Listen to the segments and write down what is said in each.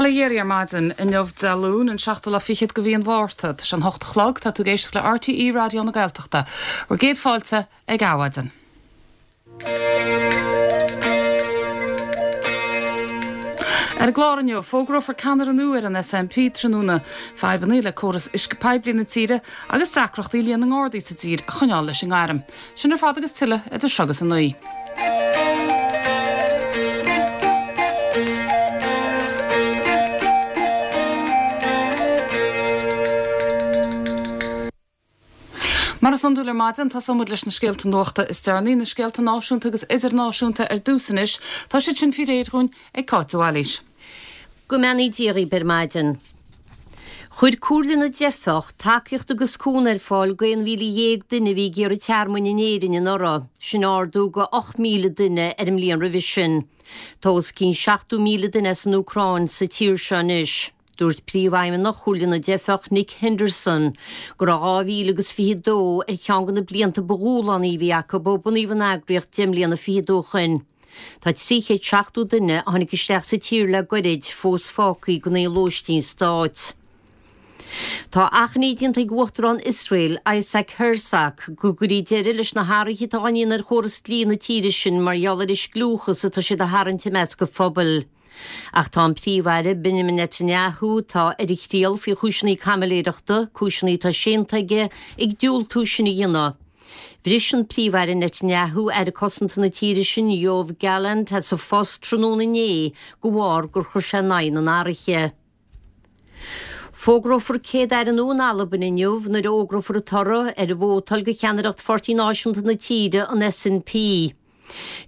Bail ó Dhia oraibh ar maidin inniu Dé Luain, an seachtú lá fichead de mhí an Mhárta. Tá sé an hocht a chlog, tá tú ag éisteacht le RTÉ Raidió na Gaeltachta. Bhur gcéad fáilte ag Adhmhaidin. Ar an gclár inniu, fógrófar ceannaire nua ar an SNP tráthnóna, fadhbanna le córas uisce poiblí na tíre agus deacrachtaí líon na nGardaí sa tír a choinneáil leis an ngairm. Sin ar fad agus tuilleadh idir seo agus a 9. Mar is iondúil ar maidin, tosóidh muid leis na scéalta nuachta is deireanaí, na scéalta náisiúnta agus idirnáisiúnta ar dtús anois. Tá siad sin faoi réir dhúinn ag Cáit de Bhailís. Go mbeannaí Dia dhaoibh ar maidin. Chuir Comhairle na dTeifeach tacaíocht agus cúnamh ar fáil go 11,000 duine a bhí ag iarraidh tearmainn in Éirinn anuraidh, sin ardú go 8,000 duine ar an mbliain roimhe sin. Tá os cionn 70,000 duine as an Úcráin sa tír seo anois. Dúirt Príomhfheidhmeannach Chomhairle na dTeifeach, Nick Henderson, go raibh 2022 ar cheann de na blianta ba dhúshlánaí a bhí acu ó bunaíodh an eagraíocht deich mbliana fichead ó shoin. Tá 370 duine a tháinig isteach sa tír le goirid fós fágtha gan aon lóistín stáit. Tá achainí déanta ag Uachtarán Iosrael, Isaac Herzog, go gcuirfí deireadh leis na hathruithe atá á ndéanamh ar chóras dlí na tíre sin mar gheall ar an scliúchas atá siad a tharraingt i measc an phobail. Ach tá an Príomh-Aire Benjamin Netanyahu, atá ar a thriail faoi chúiseanna caimiléireachta, cúiseanna atá séanta aige, ag diúltú sin a dhéanamh. Bhris an Príomh-Aire Netanyahu Aire Cosanta na tíre sin, Yoav Gallant, as a phost tráthnóna inné de bharr gur chuir sé in aghaidh na n-athruithe. Fógrófar Céad-Aire nua in Albain inniu nuair a fhógrófar an toradh ar an vótáil do cheannaireacht Pháirtí Náisiúnta na tíre, an SNP.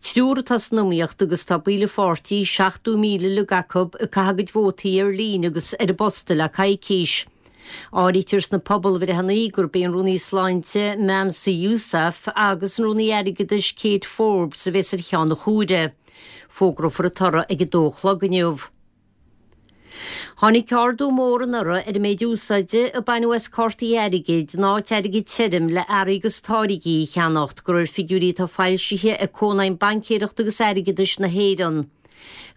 Triúr atá san iomaíocht agus tá baill an pháirtí, 70,000 uilig acu, ag caitheamh a gcuid vótaí ar líne agus ar an bposta le coicís. Áirítear sna pobalbhreitheanna gurb é an Rúnaí Sláinte Mansa Yousaf agus an Rúnaí Airgeadais Kate Forbes a bheas ar cheann an chuaire. Fógrófar an toradh ag a dó a chlog inniu. Tháinig ardú mór anuraidh ar an méid úsáide a baineadh as cártaí airgid in áit airgead tirim le earraí agus táirgí a cheannacht, de réir figiúirí atá foilsithe ag Cónaidhm Baincéireachta agus Airgeadais na hÉireann.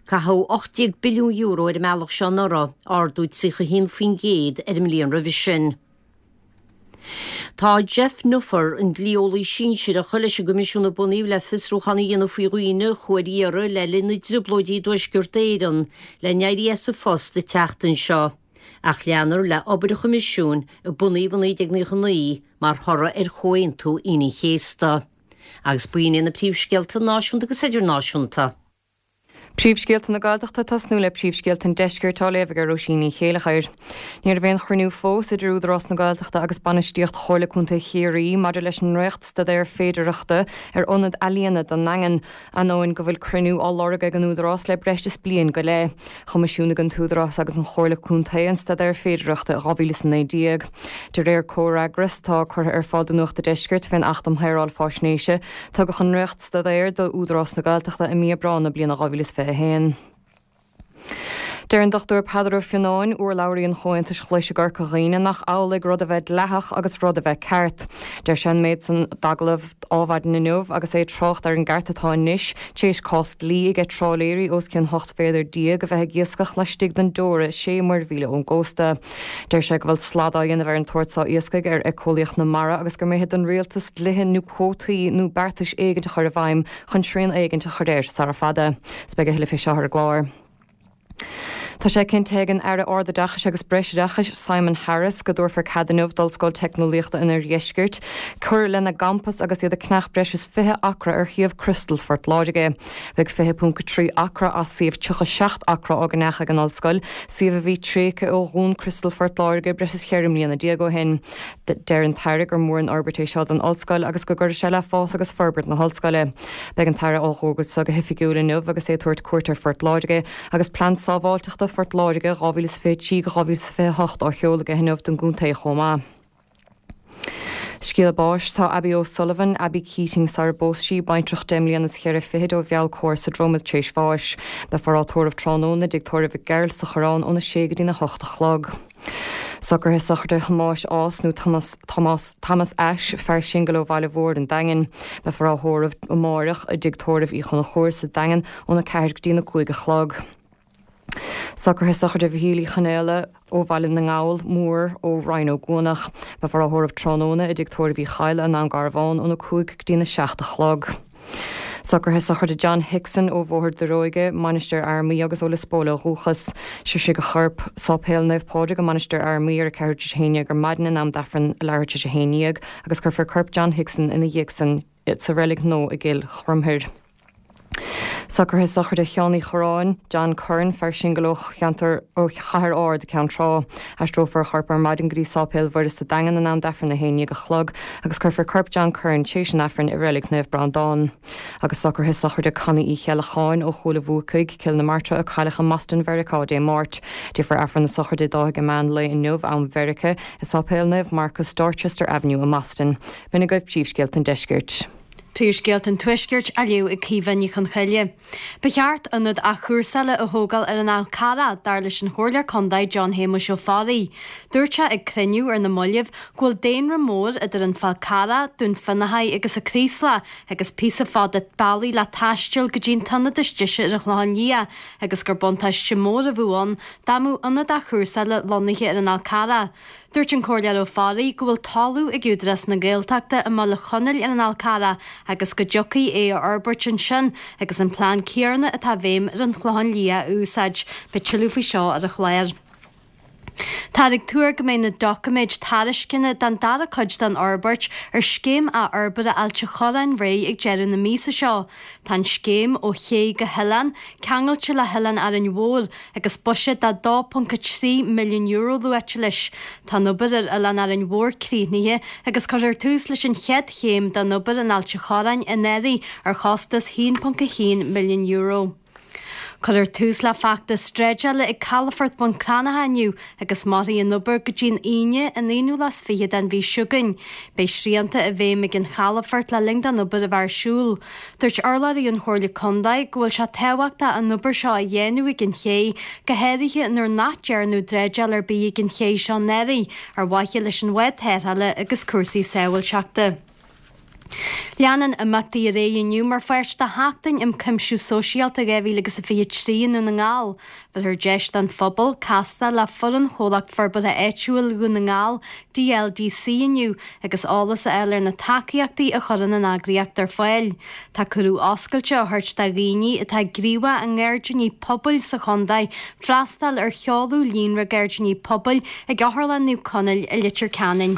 Caitheadh €18 billiún ar an mbealach seo anuraidh, ardú 31% ar an mbliain roimhe sin. Tá Geoff Neuffer, an dlí-eolaí sinsearach leis an gCoimisiún a bunaíodh le fiosrúchán a dhéanamh faoi dhaoine a chuaigh ar iarraidh le linn na dTrioblóidí i dTuaisceart Éireann, le n-éirí as a phost an tseachtain seo. Ach leanfar le obair an Choimisiúin, a bunaíodh i 1999 mar thoradh ar Chomhaontú Aoine an Chéasta. Agus b'in iad na príomhscéalta náisiúnta agus idirnáisiúnta. Príomhscéalta na Gaeltachta ag tosnú le príomhscéalta an Deiscirt á léamh ag Róisín Ní Chéilleachair. Ní raibh aon chruinniú fós idir Údarás na Gaeltachta agus bainistíocht Chomhairle Contae Chiarraí maidir leis an ndréachtstaidéar féidearthachta ar ionad ealaíona don nDaingean, ainneoin go bhfuil cruinniú á lorg ag an Údarás le breis is bliain go leith. Choimisiúnaigh an tÚdarás agus an Chomhairle Contae an staidéar féidearthachta i 2019. De réir comhfhreagras atá curtha ar fáil do Nuacht a' Deiscirt fén Acht um Shaoráil Faisnéise, tugadh an dréacht staidéar do Údarás na Gaeltachta i mí Aibreán na bliana 2021. Deir an Dr Peadar Ó Fionnáin, urlabhraí an Chomhaontais Ghlais i gCorca Dhuibhne, nach amhlaidh rud a bheith dleathach agus rud a bheith ceart. Deir sé an méid san d'agallamh Adhmhaidin inniu agus é ag trácht ar an gceart atá anois tar éis cás dlí aige trálaeirí os cionn 18 mhéadar a bheith ag iascach laistigh den dteora 6 muirmhíle ón gcósta. Deir sé go bhfuil slad á dhéanamh ar an tsórt so iascaigh ar éiceolaíocht na mara agus gur mithid don rialtas dlíthe nó cuótaí nó beartais éigint a chur i bhfeidhm chun srian éigint a chur air sara fada. 'S beidh a thuilleadh fé seo ar an gclár. Tá sé cinnte ag an Aire Ardoideachais agus Breisoideachais Simon Harris go dtabharfar cead inniu d'Ollscoil Teicneolaíochta an Oirdheiscirt cur lena gcampas agus iad ag ceannach breis is 20 acra ar shuíomh Crostail Phort Láirge. Beidh 20.3 acra as suíomh 37 acra á gceannach ag an ollscoil, suíomh a bhí tréigthe ó dhún Crostail Phort Láirge breis is cheithre mbliana déag ó shin. Deir an tAire gur mór an fhorbairt é seo don Ollscoil agus go gcuirfidh sé le fás agus forbairt na hOllscoile. Beidh an tAire á fhógairt seo go hoifigiúil inniu agus é ag tabhairt cuairt ar Phort Láirge agus Plean Sábháilteachta Phort Láirge 2023-2028 á sheoladh aige inniu don gcontae chomh maith. Scéala báis, Tá Abby O'Sullivan, Abby Keating sara bpós sí, baintreach deich mbliana is cheithre fichid ó Mheall Cóir sa Dromad tar éis bháis. Beifear á tórramh tráthnóna i dTigh Tórraimh Mhic Gearailt sa Choireán óna sé go dtína hocht a chlog. Socruithe sochraide Thomáis Ághas nó Tomás, Tomás, Thomas Ashe, fear singil ó Bhaile Mhóir an Daingin. Beifear á thórramh amáireach i dTigh Tórraimh Uí Chonchúir sa Daingean óna 4 go dtína 5 a chlog. Socruithe sochraide Mhichíl Uí Chonaola ó Bhaile na nGall Mór ó Rinn Ó gCuanach. Beifear á thórramh tráthnóna i dtigh tórraimh Uí Chadhla i nDún Garbhán óna 5 go dtína 7 a chlog. Socruithe sochraide John Hickson ó Bhóthar Daróige, Mainistir Fhear Maí agus ó Lios Póil ó dhúchas. Sroisfidh a chorp Sáipéal Naomh Pádraig i Mainistir Fhear Maí ar a ceathrú tar éis a haon dhéag ar maidin in am d'Aifreann a leathuair tar éis a haon dhéag agus cuirfear corp John Hickson ina dhiaidh san sa reilig nua i gCill Chromthair. Socruithe sochraide Sheáin Uí Chorráin, John Curran, fear singil ó cheantar ó Chathair Ard, Ceann Trá. Aistreofar a chorp ar maidin go dtí Sáipéal Mhuire sa Daingean in am d'Aifreann 11 a chlog agus cuirfear corp John Curran tréis an Aifrinn i Reilig Naomh Breandán. Agus socruithe sochraide Connie Uí Cheallacháin ó Chúil a' Bhuacaigh, Cill na Martra a cailleadh i mBoston Mheiriceá Dé Máirt. Déanfar Aifreann na sochraide dó ag meán lae inniu, am Mheiriceá, i Sáipéal Naomh Marcas, Dorchester Avenue i mBoston. B'in agaibh príomhscéalta an deiscirt. Príomhscéalta an Tuaiscirt á léamh ag Caoimhe Ní Chonchoille. Ba cheart ionad athchúrsála a thógáil ar an Fhál Carrach, dar leis an Chomhairleoir Contae John Shéamuis Ó Fearraigh. Dúirt sé ag cruinniú ar na mallaibh go bhfuil daonra mór idir an Fál Carrach, Dún Fionnachaidh agus an Craoslach agus píosa fada bealaigh le taisteal go dtí an t-ionad is deise ar an Chlochán Liath agus gur buntáiste mór a bheadh ann dá mbeadh ionad athchúrsála lonnaithe ar an Fhál Carrach. Dúirt an Comhairleoir Ó Fearraigh go bhfuil talamh ag Údarás na Gaeltachta i mBaile Chonaill ar an Fhál Carrach agus go dtiocfaí é a fhorbairt ansin agus an plean céarna atá i bhfeidhm ar an Chlochán Liath a úsáid. Beidh tuilleadh faoi seo ar an chlár. Táthar ag tuar go mbeidh na doiciméid tairisceana don dara cuid den fhorbairt ar Scéim Athfhorbartha Ailt an Chorráin réidh ag deireadh na míosa seo. Tá an scéim, Ó Ché go hOileán, ceangailte le hOileán Árainn Mhór agus buiséad de €2.3 milliún luaite leis. Tá an obair ar Oileán Árainn Mhór críochnaithe agus cuirfear tús leis an chéad chéim den obair in Ailt an Chorráin anuraidh ar chostas €1.1 milliún. Cuirfear tús le feachtas dreideála ag Calafort Bhun Cranncha inniu agus mairfidh an obair go dtí an Aoine, an aonú lá is fiche den mhí seo chugainn. Beidh srianta i bhfeidhm ag an chalafort le linn don obair a bheith ar siúl. Dúirt urlabhraí ón Chomhairle Contae go bhfuil sé tábhachtach an obair seo a dhéanamh ag an ché, go háirithe nuair nach dearnadh dreideáil ar bith ag an ché seo anuraidh, ar mhaithe leis an bhád tarrthála agus cúrsaí sábháilteachta. Leanann imeachtaí ar aghaidh inniu mar pháirt de Sheachtain um Chuimsiú Sóisialta 2023 i nDún na nGall. Tabharfar deis don phobal castáil le foireann Chomhlacht Forbartha Áitiúil Dhún na nGall, DLDC, inniu agus eolas a fháil ar na tacaíochtaí a chuireann an eagraíocht ar fáil. Tá cuireadh oscailte á thabhairt do dhaoine atá gníomhach i ngairdíní pobail sa chontae freastal ar sheoladh Líonra Gairdíní Pobail ag Otharlann Naomh Conaill i Leitir Ceanainn.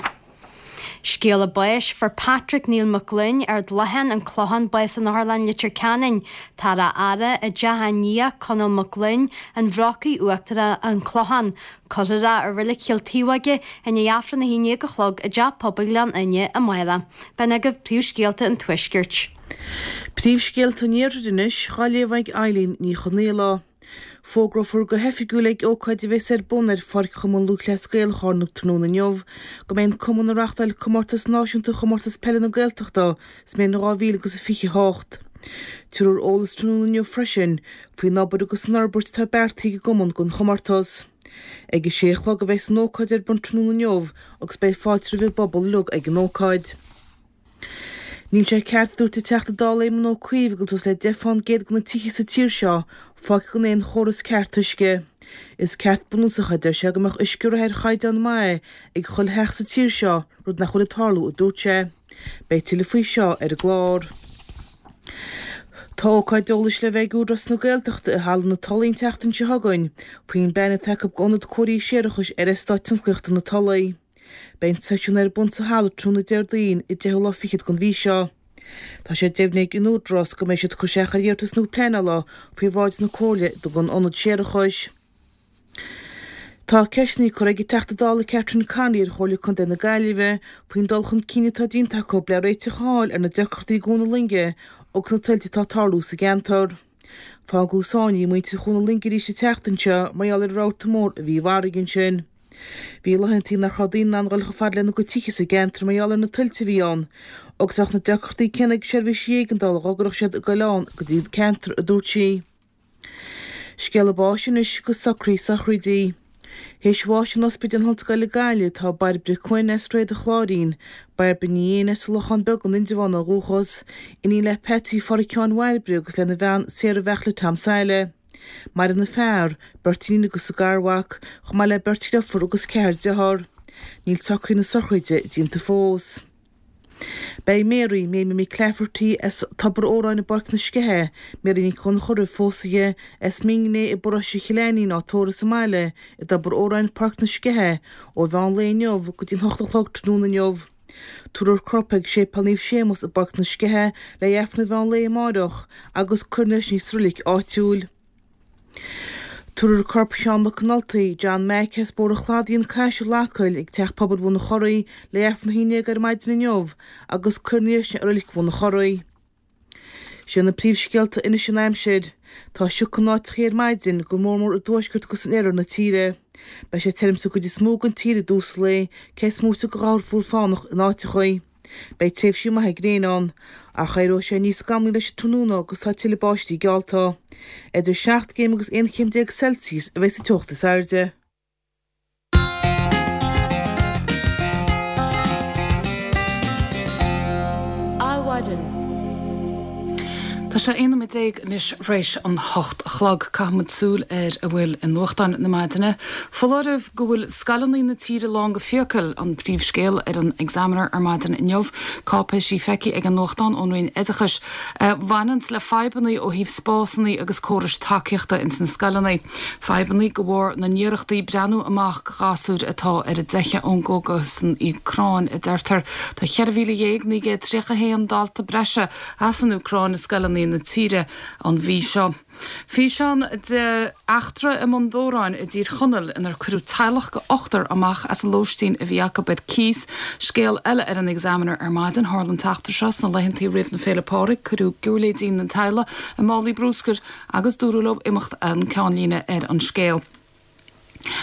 Scéala báis, Fuair Patrick Neil Mac Gloinn, Ard Loichteáin, An Clochán, bás in Otharlann Leitir Ceanainn. Táthar á fhaire i dteach a nia, Conall Mac Gloinn, An Bhrocaigh Uachtarach, An Clochán. Cuirfear é i Reilig Chill Taobhóige i ndiaidh Aifreann 11 a chlog i dTeach Pobail Ghleann Fhinne amárach. B'in agaibh príomhscéalta an Tuaiscirt. Príomhscéalta an Iarthair anois, dhá léamh ag Eileen Ní Chonaola. Fógrófar go hoifigiúil ag ócáid a bheas ar bun ar Pháirc Chumann Lúthchleas Gael Chárna tráthnóna inniu go mbeidh an cumann ag reáchtáil comórtas náisiúnta Chomórtas Peile na Gaeltachta sa mbliain 2028. Tabharfar eolas tráthnóna inniu freisin faoin obair agus an fhorbairt atá beartaithe ag an gcumann don chomórtas. Ag a sé a chlog a bheas an ócáid ar bun tráthnóna inniu agus beidh fáilte roimh an bpobal uilig ag an ócáid. Níl sé ceart, a dúirt an Teachta Dála Éamon Ó Cuív, go bhfuil suas le 10 fán gcéad de na tithe sa tír seo fágtha gan aon chóras ceart uisce. Is ceart bunúsach é, a deir sé, go mbeadh uisce reatha ar chaighdeán maith ag chuile theach sa tír seo, rud nach bhfuil ag tarlú, a dúirt sé. Beidh tuilleadh faoi seo ar an gclár. Tá ócáid eolais le bheith ag Údarás na Gaeltachta i Halla na Tulaí an tseachtain seo chugainn faoin bplean atá acu d'ionad cóirithe séarachais ar Eastát Tionsclaíochta na Tulaí. Beidh an seisiún ar bun sa halla tráthnóna Déardaoin, an deichiú lá fichead den mhí seo. Tá sé deimhnithe ag an Údarás go mbeidh siad ag cur isteach ar iarratas nua pleanála faoi bhráid na Comhairle don ionad séarachais. Tá ceisteanna curtha ag an Teachta Dála Catherine Connolly ar Chomhairle Contae na Gaillimhe faoin dul chun cinn atá déanta acu le réiteach a fháil ar na deacrachtaí i gCuan na Loinge agus na tuilte atá ag tarlú sa gceantar. Fágadh sáinnithe muintir Chuan na Loinge arís an tseachtain seo mar gheall ar an rabharta mór a bhí i bhfarraige ansin. Bhí laethantaí nach raibh daoine in ann dhul chomh fada lena gcuid tithe sa gceantar mar gheall ar na tuilte a bhí ann, agus bheadh na deacrachtaí céanna ag seirbhísí éigeandála dhá gcuirfeadh siad gabhláin go dtí an ceantar, a dúirt sí. Scéala báis anois agus socruithe sochraide. Théis bháis in Ospidéal na hOllscoile Gaillimh tá Bairbre Quinn as Réad an Chláirín, Bairbre Ní Éin as an Lochán Beag in Indreabhán ó dhúchas, iníon le Patsy Pháraic Sheáin Bhairbre agus lena bhean Sarah Bheartla Tom Saile. Maireann a fear, beirt iníon agus a garmhac, chomh maith le beirt dhriofúr agus ceathar dearthár. Níl socruithe na sochraide déanta fós. Beidh Mary, Mamie McClafferty, as Tobar Óráin i bPáirc na Sceiche, Mary Nic Dhonnchadha roimh phósadh di, as Mingné i bparóiste Chill Ainnín á tórramh sa mbaile i dTobar Óráin, Páirc na Sceiche, ó mheán lae inniu go dtí an hocht a chlog tráthnóna inniu. Tabharfar a corp ag Séipéal Naomh Séamus i bPáirc na Sceiche le hAifreann an mheán lae amáireach agus cuirfear ina dhiaidh sin sa roilig áitiúil. Tabharfar corp Sheán McNulty, John Mac, as Bóthar an Chladaigh, An Caiseal, Acaill, ag Teach Pobail Bhun an Churraigh le hAifreann a haon déag ar maidin inniu agus cuirfear ina dhiaidh sin i Roilig Bhun an Churraigh. Sé na príomhscéalta anois an aimsir. Tá sioc in áiteachaí ar maidin, go mór mór i dtuaisceart agus in oirthear na tíre. Beidh sé tirim sa gcuid is mó den tír i dtús an lae, cé is móite de ghabhar fuar fánach in áiteachaí. Beidh tréimhsí maithe gréine ann, ach éireoidh sé níos scamlaí leis an tráthnóna agus tá tuilleadh báistí geallta. Idir 7 gcéim agus 11 chéim Celsius a bheidh sa teocht is airde. Adhmhaidin. Tá sé 11 nóiméad anois tar éis an hocht a chlog. Caithfimid súil ar a bhfuil i nuachtáin na maidine. Foláireamh go bhfuil scoileanna na tíre lán go fiacail, an príomhscéal ar an Examiner ar maidin inniu. Cáipéisí feicthe ag an nuachtán ón Roinn Oideachais a bhaineanns le fadhbanna ó thaobh spásanna agus córais tacaíochta ins na scoileanna. Fadhbanna de bharr na n-iarrachtaí breathnú amach go ghasúir atá ar a dteitheadh ón gcogadh san Úcráin, a deirtear. Tá 14,931 dalta breise as an Úcráin i scoileanna na tíre an mhí seo. Físeán de eachtra i mBun Dobhráin i dTír Chonaill inar cuireadh teaghlach de ochtar amach as an lóistín a bhí acu ar cíos. Scéal eile ar an Examiner ar maidin. Tharla an t-eachtra seo sna laethantaí roimh na Féile Pádraig. Cuireadh giúirléidí na teaghlaigh i málaí brúscair agus dúradh leo imeacht an ceannlíne ar an scéal.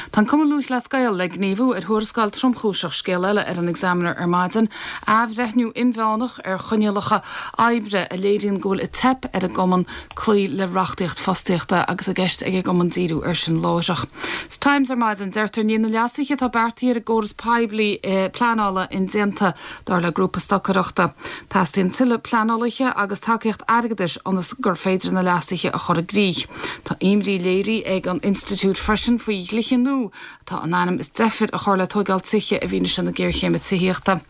Tá an Cumann Lúthchleas Gael le gníomhú ar thuarascáil tromchúiseach, scéal eile ar an Examiner ar maidin. Athbhreithniú inmheánach ar choinníollacha oibre a léiríonn go bhfuil ag teip ar an gcumann cloí le reachtaíocht fostaíochta agus i gceist ag an gcumann díriú air sin láithreach. Sa Times ar maidin, deirtear níl na leasuithe atá beartaithe ar an gcóras poiblí pleanála indéanta, dar le grúpa stocaireachta. Teastaíonn tuilleadh pleanálaithe agus tacaíocht airgeadais ionas gur féidir na leasuithe a chur i gcrích. Tá imní léirithe ag an institiúid freisin faoi dhlíthe nua atá in ainm is deifir a chur le tóigeáil tithe i bhfianaise na géarchéime tithíochta.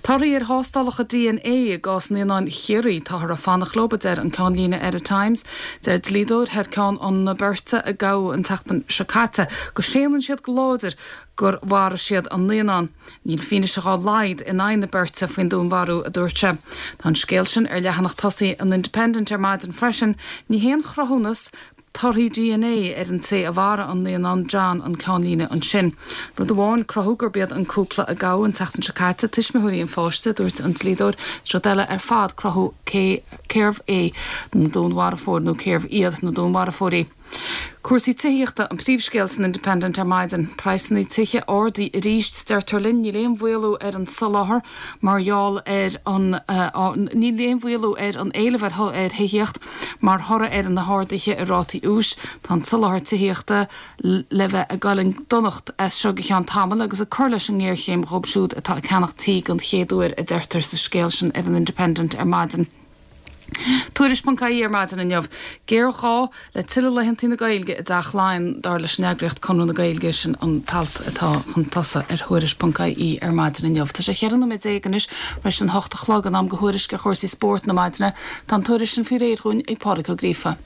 Torthaí ar thástálacha DNA i gcás naíonáin Chiarraí, táthar ag fanacht leo, a deir an ceannlíne ar an Times. Deir dlíodóir thar ceann na beirte a gabhadh an tseachtain seo caite go séanann siad go láidir gur mharaigh siad an naíonán. Níl fianaise dhá laghad in aghaidh na beirte faoin dúnmharú, a dúirt sé. Tá an scéal sin ar leathanach tosaigh an Independent ar maidin freisin. Ní haon chruthúnas torthaí DNA ar an té a mharaigh an naíonán John an ceannlíne ansin. Rud amháin cruthú gurb iad an cúpla a gabhadh an tseachtain seo caite tuismitheoirí an pháiste, a dúirt an dlíodóir. Is rud eile ar fad cruthú cé cérbh é an dúnmharfóir nó cérbh iad na dúnmharfóirí. Cúrsaí tithíochta an príomhscéal san Independent ar maidin. Praghsanna tithe ardaithe arís, deirtear linn. Níl aon mhaolú ar an soláthar mar gheall ar an Níl aon mhaolú ar an éileamh ar thithíocht mar thoradh ar na harduithe i rátaí úis. Tá an soláthar tithíochta le bheith ag dul i ndonacht as seo go ceann tamaill agus ag cur leis an ngéarchéim dhóibh siúd atá ag ceannach tí den chéad uair, a deirtear sa scéal sin ar an Independent ar maidin. Tuairisc.ie ar maidin inniu. Géarghá le tuilleadh laethanta na Gaeilge i dTeach Laighean, dar leis an eagraíocht Conradh na Gaeilge. Sin an t-alt atá chun tosaigh ar Thuairisc.ie ar maidin inniu. Tá sé 14 nóiméad anois tar éis an hocht a chlog, in am do thuairisc ar chúrsaí spóirt na maidine. Tá an tuairisc sin faoi réir dhúinn ag Pádraig Ó Gríofa.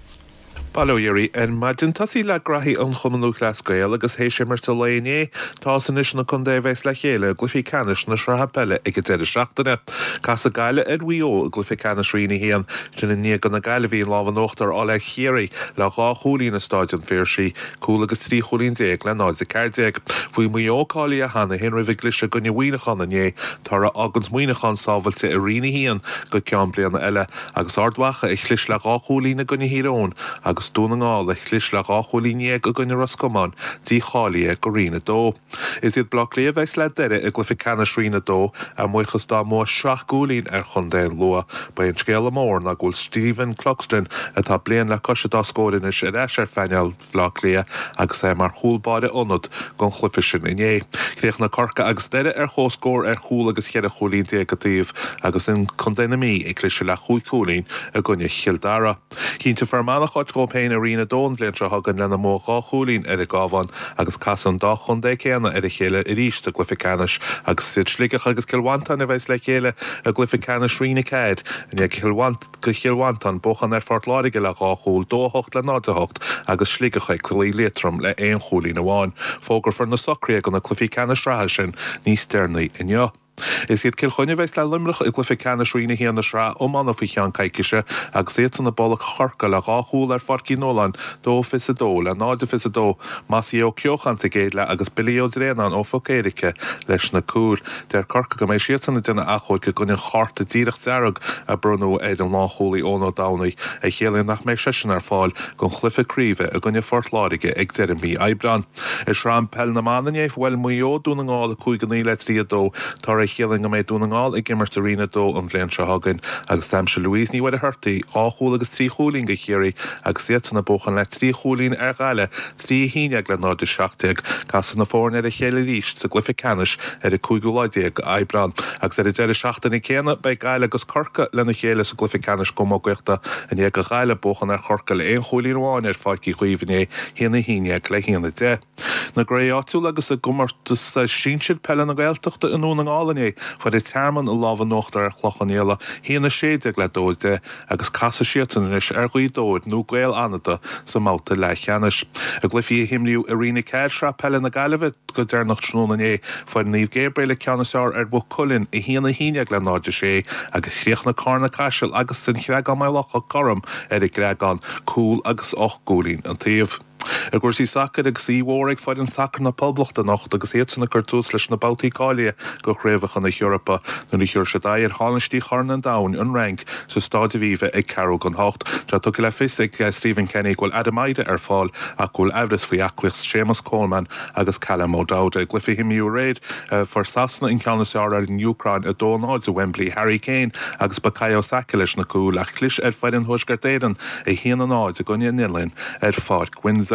Bail ó Dhia oraibh ar maidin. Tosaí le graithí an Chumann Lúthchleas Gael agus théis imirt an lae inné, tá fhios anois na contaetha a bheas le chéile i gcluichí ceannais na sraithe peile ag an deireadh seachtaine. Casfaidh Gaillimh ar Mhaigh Eo i gcluiche ceannais Roinn 1, sin i ndiaidh do na Gaillimhigh an lámh in uachtar a fháil ar Chiarraí le dhá chúilín i Stáid an Phiarsaigh, cúl agus 13 chúilín le 0-14. Bhí Maigh Eo cáilithe cheana féin roimh a gcliseadh i gcoinne Mhuineacháin inné, toradh a fháganns Muineachán sábhailte i Roinn 1 go ceann bliana eile. Agus Ard Mhacha a chlis le dhá chúilín i gcoinne Thír Eoghain agus Dún na nGall a chlis le 12 chúilín i gcoinne Ros Comáin dícháilithe go Roinn 2. Is iad Baile Átha Cliath a bheas le Doire i gcluiche ceannais Roinn 2 a mbuíochas dá mbua seacht gcúilín ar chontae an Lú. Ba é an scéala mór ná go bhfuil Stephen Cluxton, atá bliain le cois an dá scór anois, ar ais ar phainéal Bhaile Átha Cliath agus é mar chúl báire ionad don chluiche sin inné. Chríochnaigh Corcaigh agus Doire ar comhscór ar chúl agus cheithre chúilín déag an taobh agus Contae na Mí ag cliseadh le chúig chúilín i gcoinne Chill Dara. Chinntigh Fear Manach áit dhóibh. féin i Roinn 2 an bhliain seo chugainn lena mbua dhá chúilín ar an gCabhán agus casfaidh an dá chontae céanna ar a chéile arís sa gcluiche ceannais agus is iad Sligeach agus Cill Mhantáin a bheas le chéile i gcluiche ceannais Roinn 4 i ndiaidh do Chill Mhantáin buachan ar Phort Láirge le dhá chúl, 2, 8 le 0, 8, agus Sligeach ag cloí Liatroim le aon chúilín amháin. Fógrófar na socruithe do na cluichí ceannais sraithe sin níos deireanaí inniu. Is iad Cill Chainnigh a bheas le Luimneach i gcluiche ceannais Roinn 1 na sraithe iomána faoi cheann coicíse agus iadsan ag bualadh Chorcaí le dhá chúl ar Pháirc Uí Nualláin, 2-22 le 0-22, Mossie Ó Ceocháin sa gcéad leath agus Billy Ó Dréanáin ó Phoc Éirice leis na cúil. Deir Corcaigh go mbeidh siadsan ag déanamh achomhairc i gcoinne an chárta díreach dearg a bronnadh ar an lánchúlaí Eoin Ó Domhnaill, a chiallaíonn nach mbeidh seisean ar fáil don chluiche craoibhe i gcoinne Phort Láirge ag deireadh mhí Aibreáin. I Sraith Peil na mBan inné, bhuail Maigh Eo Dún na nGall 5-9 le 3-2, toradh a chiallaíonn go mbeidh Dún na nGall ag imirt i Roinn 2 an bhliain seo chugainn agus d'aimsigh Louise Ní Mhuircheartaigh dhá chúl agus trí chúilín do Chiarraí agus iadsan ag buachan le trí chúilín ar Ghaillimh 3-11 le 0-17. Casfaidh na foirne ar a chéile arís sa gcluiche ceannais ar an cúigiú lá déag Aibreán. Agus ar an deireadh seachtaine céanna, beidh Gaillimh agus Corcaigh lena chéile sa gcluiche ceannais camógaíochta i ndiaidh do Ghaillimh buachan ar Chorcaigh le aon chúilín amháin ar Pháirc Uí Chaoimh inné, 1-11 le 1-10. Na gcraobh áitiúla agus i gcomórtas sinsir peile na Gaeltachta i nDún na nGall inné, fuair an Tearmann an lámh in uachtar ar Chlochán Liath, 1-16 le 2-10. agus casfaidh siadsan anois ar Ghaoth Dobhair nó Gaeil Fhánada sa mbabhta leathcheannais. I gcluichí a himríodh i Roinn 4 Sraith Peile na Gaillimhe go deireanach tráthnóna inné, fuair Naomh Gabriel an ceann is fearr ar Mhaigh Cuilinn, 1-11 le 0-6, agus chríochnaigh Carna Caiseal agus An Chreagán-Maigh Locha cothrom ar an gCreagán, cúl agus 8 gcúilín an taobh. I gcúrsaí sacair agus oíche mhór ag foireann sacair na Poblachta anocht agus iadsan ag cur tús leis na babhtaí cáilithe do Chraobhacha na hEorpa nuair a thiúrfaidh siad aghaidh ar thánaistí Chorn an Domhain, an Fhrainc, sa Staid Aviva ag ceathrú don hocht. Tá tugtha le fios ag Stephen Kenny go bhfuil Adam Idah ar fáil ach go bhfuil aimhreas faoi aclaíocht Séamus Coleman agus Callum O'Dowda. I gcluiche a himríodh aréir, fuair Sasana an ceann is fearr ar an Úcráin, 2-0 i Wembley. Harry Kane agus Bukayo Saka leis na cúil ach chlis ar foireann Thuaisceart Éireann, 1-0 i gcoinne an Oileáin ar Pháirc Windsor.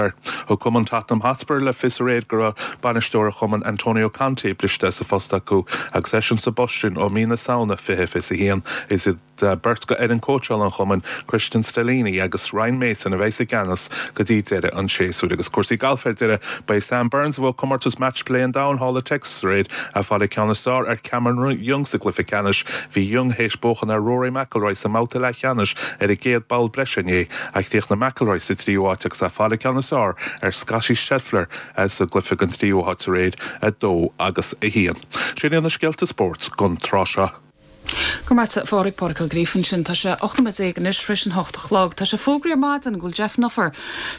Thug cumann Tottenham Hotspur le fios aréir go raibh bainisteoir an chumainn Antonio Conte briste as a phost acu agus eisean sa bpost sin ó mí na Samhna 2021. Is iad beirt de fhoireann cóitseála an chumainn, Cristian Stellini agus Ryan Mason a bheas i gceannas go dtí deireadh an tséasúir. Agus cúrsaí gailf ar deireadh, ba é Sam Burns a bhuaigh comórtas Match Play an Domhain thall i Texas aréir, ag fáil an ceann is fearr ar Cameron Young sa gcluiche ceannais. Bhí Young théis buachan ar Rory McIlroy sa mbabhta leathcheannais ar an gcéad bpoll breise inné, ach chríochnaigh McIlroy sa tríú háit agus é ag fáil an ceann is fearr ar Scottie Scheffler sa gcluiche don tríú háit aréir, 2 agus 1. Sin iad na scéalta spóirt don tráth seo. Go raibh maith agat, a Phádraig, Pádraig Ó Gríofa ansin. Tá sé 18 nóiméad anois tar éis an hocht a chlog. Tá sé fógraithe ar maidin go bhfuil Geoff Nuffer,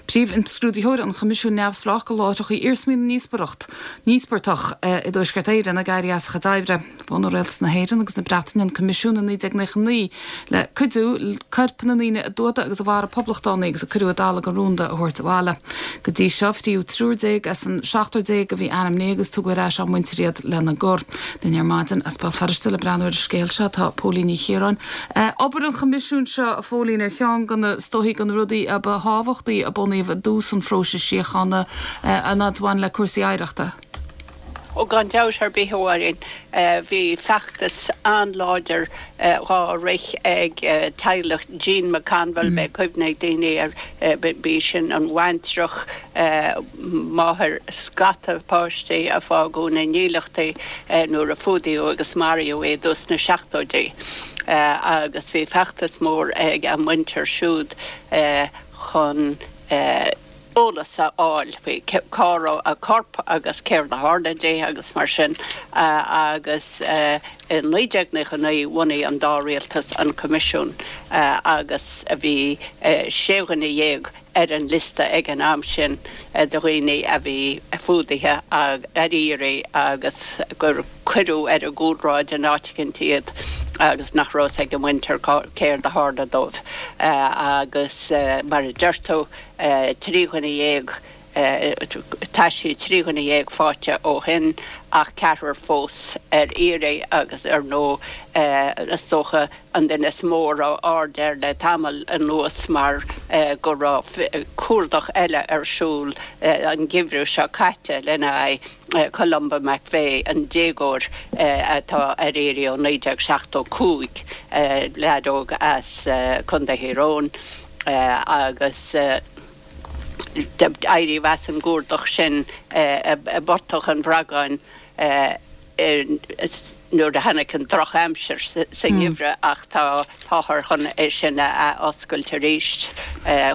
Príomh-Imscrúdaitheoir an Choimisiúin Neamhspleách do Láithreacha Iarsmaí na nÍospartach i dTuaisceart Éireann, ag éirí as a chuid oibre. Bhunaigh Rialtas na hÉireann agus na Breataine an Coimisiún i 1999 le cuidiú coirp na ndaoine a d'fhuadaigh agus a mharaigh poblachtánaigh agus a cuireadh i dtalamh go rúnda a thabhairt abhaile. Go dtí seo, fríodh triúr déag as an seachtar déag a bhí ainmnithe agus tugadh ar ais á muintir iad lena gcur. Linn ar maidin as Béal Feirste le breathnú ar an scéal seo tá Póilín Ní Chiaráin. Obair an Choimisiúin seo, a Phóilín, ar cheann de na, is dóichí, de na rudaí a ba thábhachtaí a bunaíodh i dtús an phróisis síochána an fhad a bhain le cúrsaí oidhreachta. Ó gan dabht ar bith, a Mháirín. Bhí feachtas an-láidir dhá rith ag teaghlach Jean McConville, beidh cuimhne ag daoine air, b'í sin an bhaintreach, máthair scata páistí a fágadh ina ndílleachtaí nuair a fuadaíodh agus maraíodh í i dtús na seachtóidí. Agus bhí feachtas mór ag a muintir siúd chun eolas a fháil faoi cá raibh a corp agus céard a tharla di agus mar sin agus i 1999 bhunaigh an dá rialtas an Coimisiún agus bhí sé dhuine dhéag ar an liosta ag an am sin de dhaoine a bhí fuadaithe ar iarraidh agus gur cuireadh ar an gcúlráid in áit eicínt iad agus nach raibh fhios ag a muintir céard a tharla dóibh agus mar a deir tú 13 dhuine, taisí 13 dhuine faighte ó shin ach ceathrar fós ar iarraidh agus ar ndóigh is dócha an duine is mó a raibh aird air le tamall anuas mar go raibh cuardach eile ar siúl an geimhreadh seo caite lena aghaidh. Columba McVeigh, an déagóir atá ar iarraidh ó 1975, leaid óg as Contae Thír Eoghain, agus. Éiríodh as an gcuardach sin i bPortach an Bhragáin nuair a tháinig an drochaimsir sa ngeimhreadh ach tá táthar chun é sin a athoscailt arís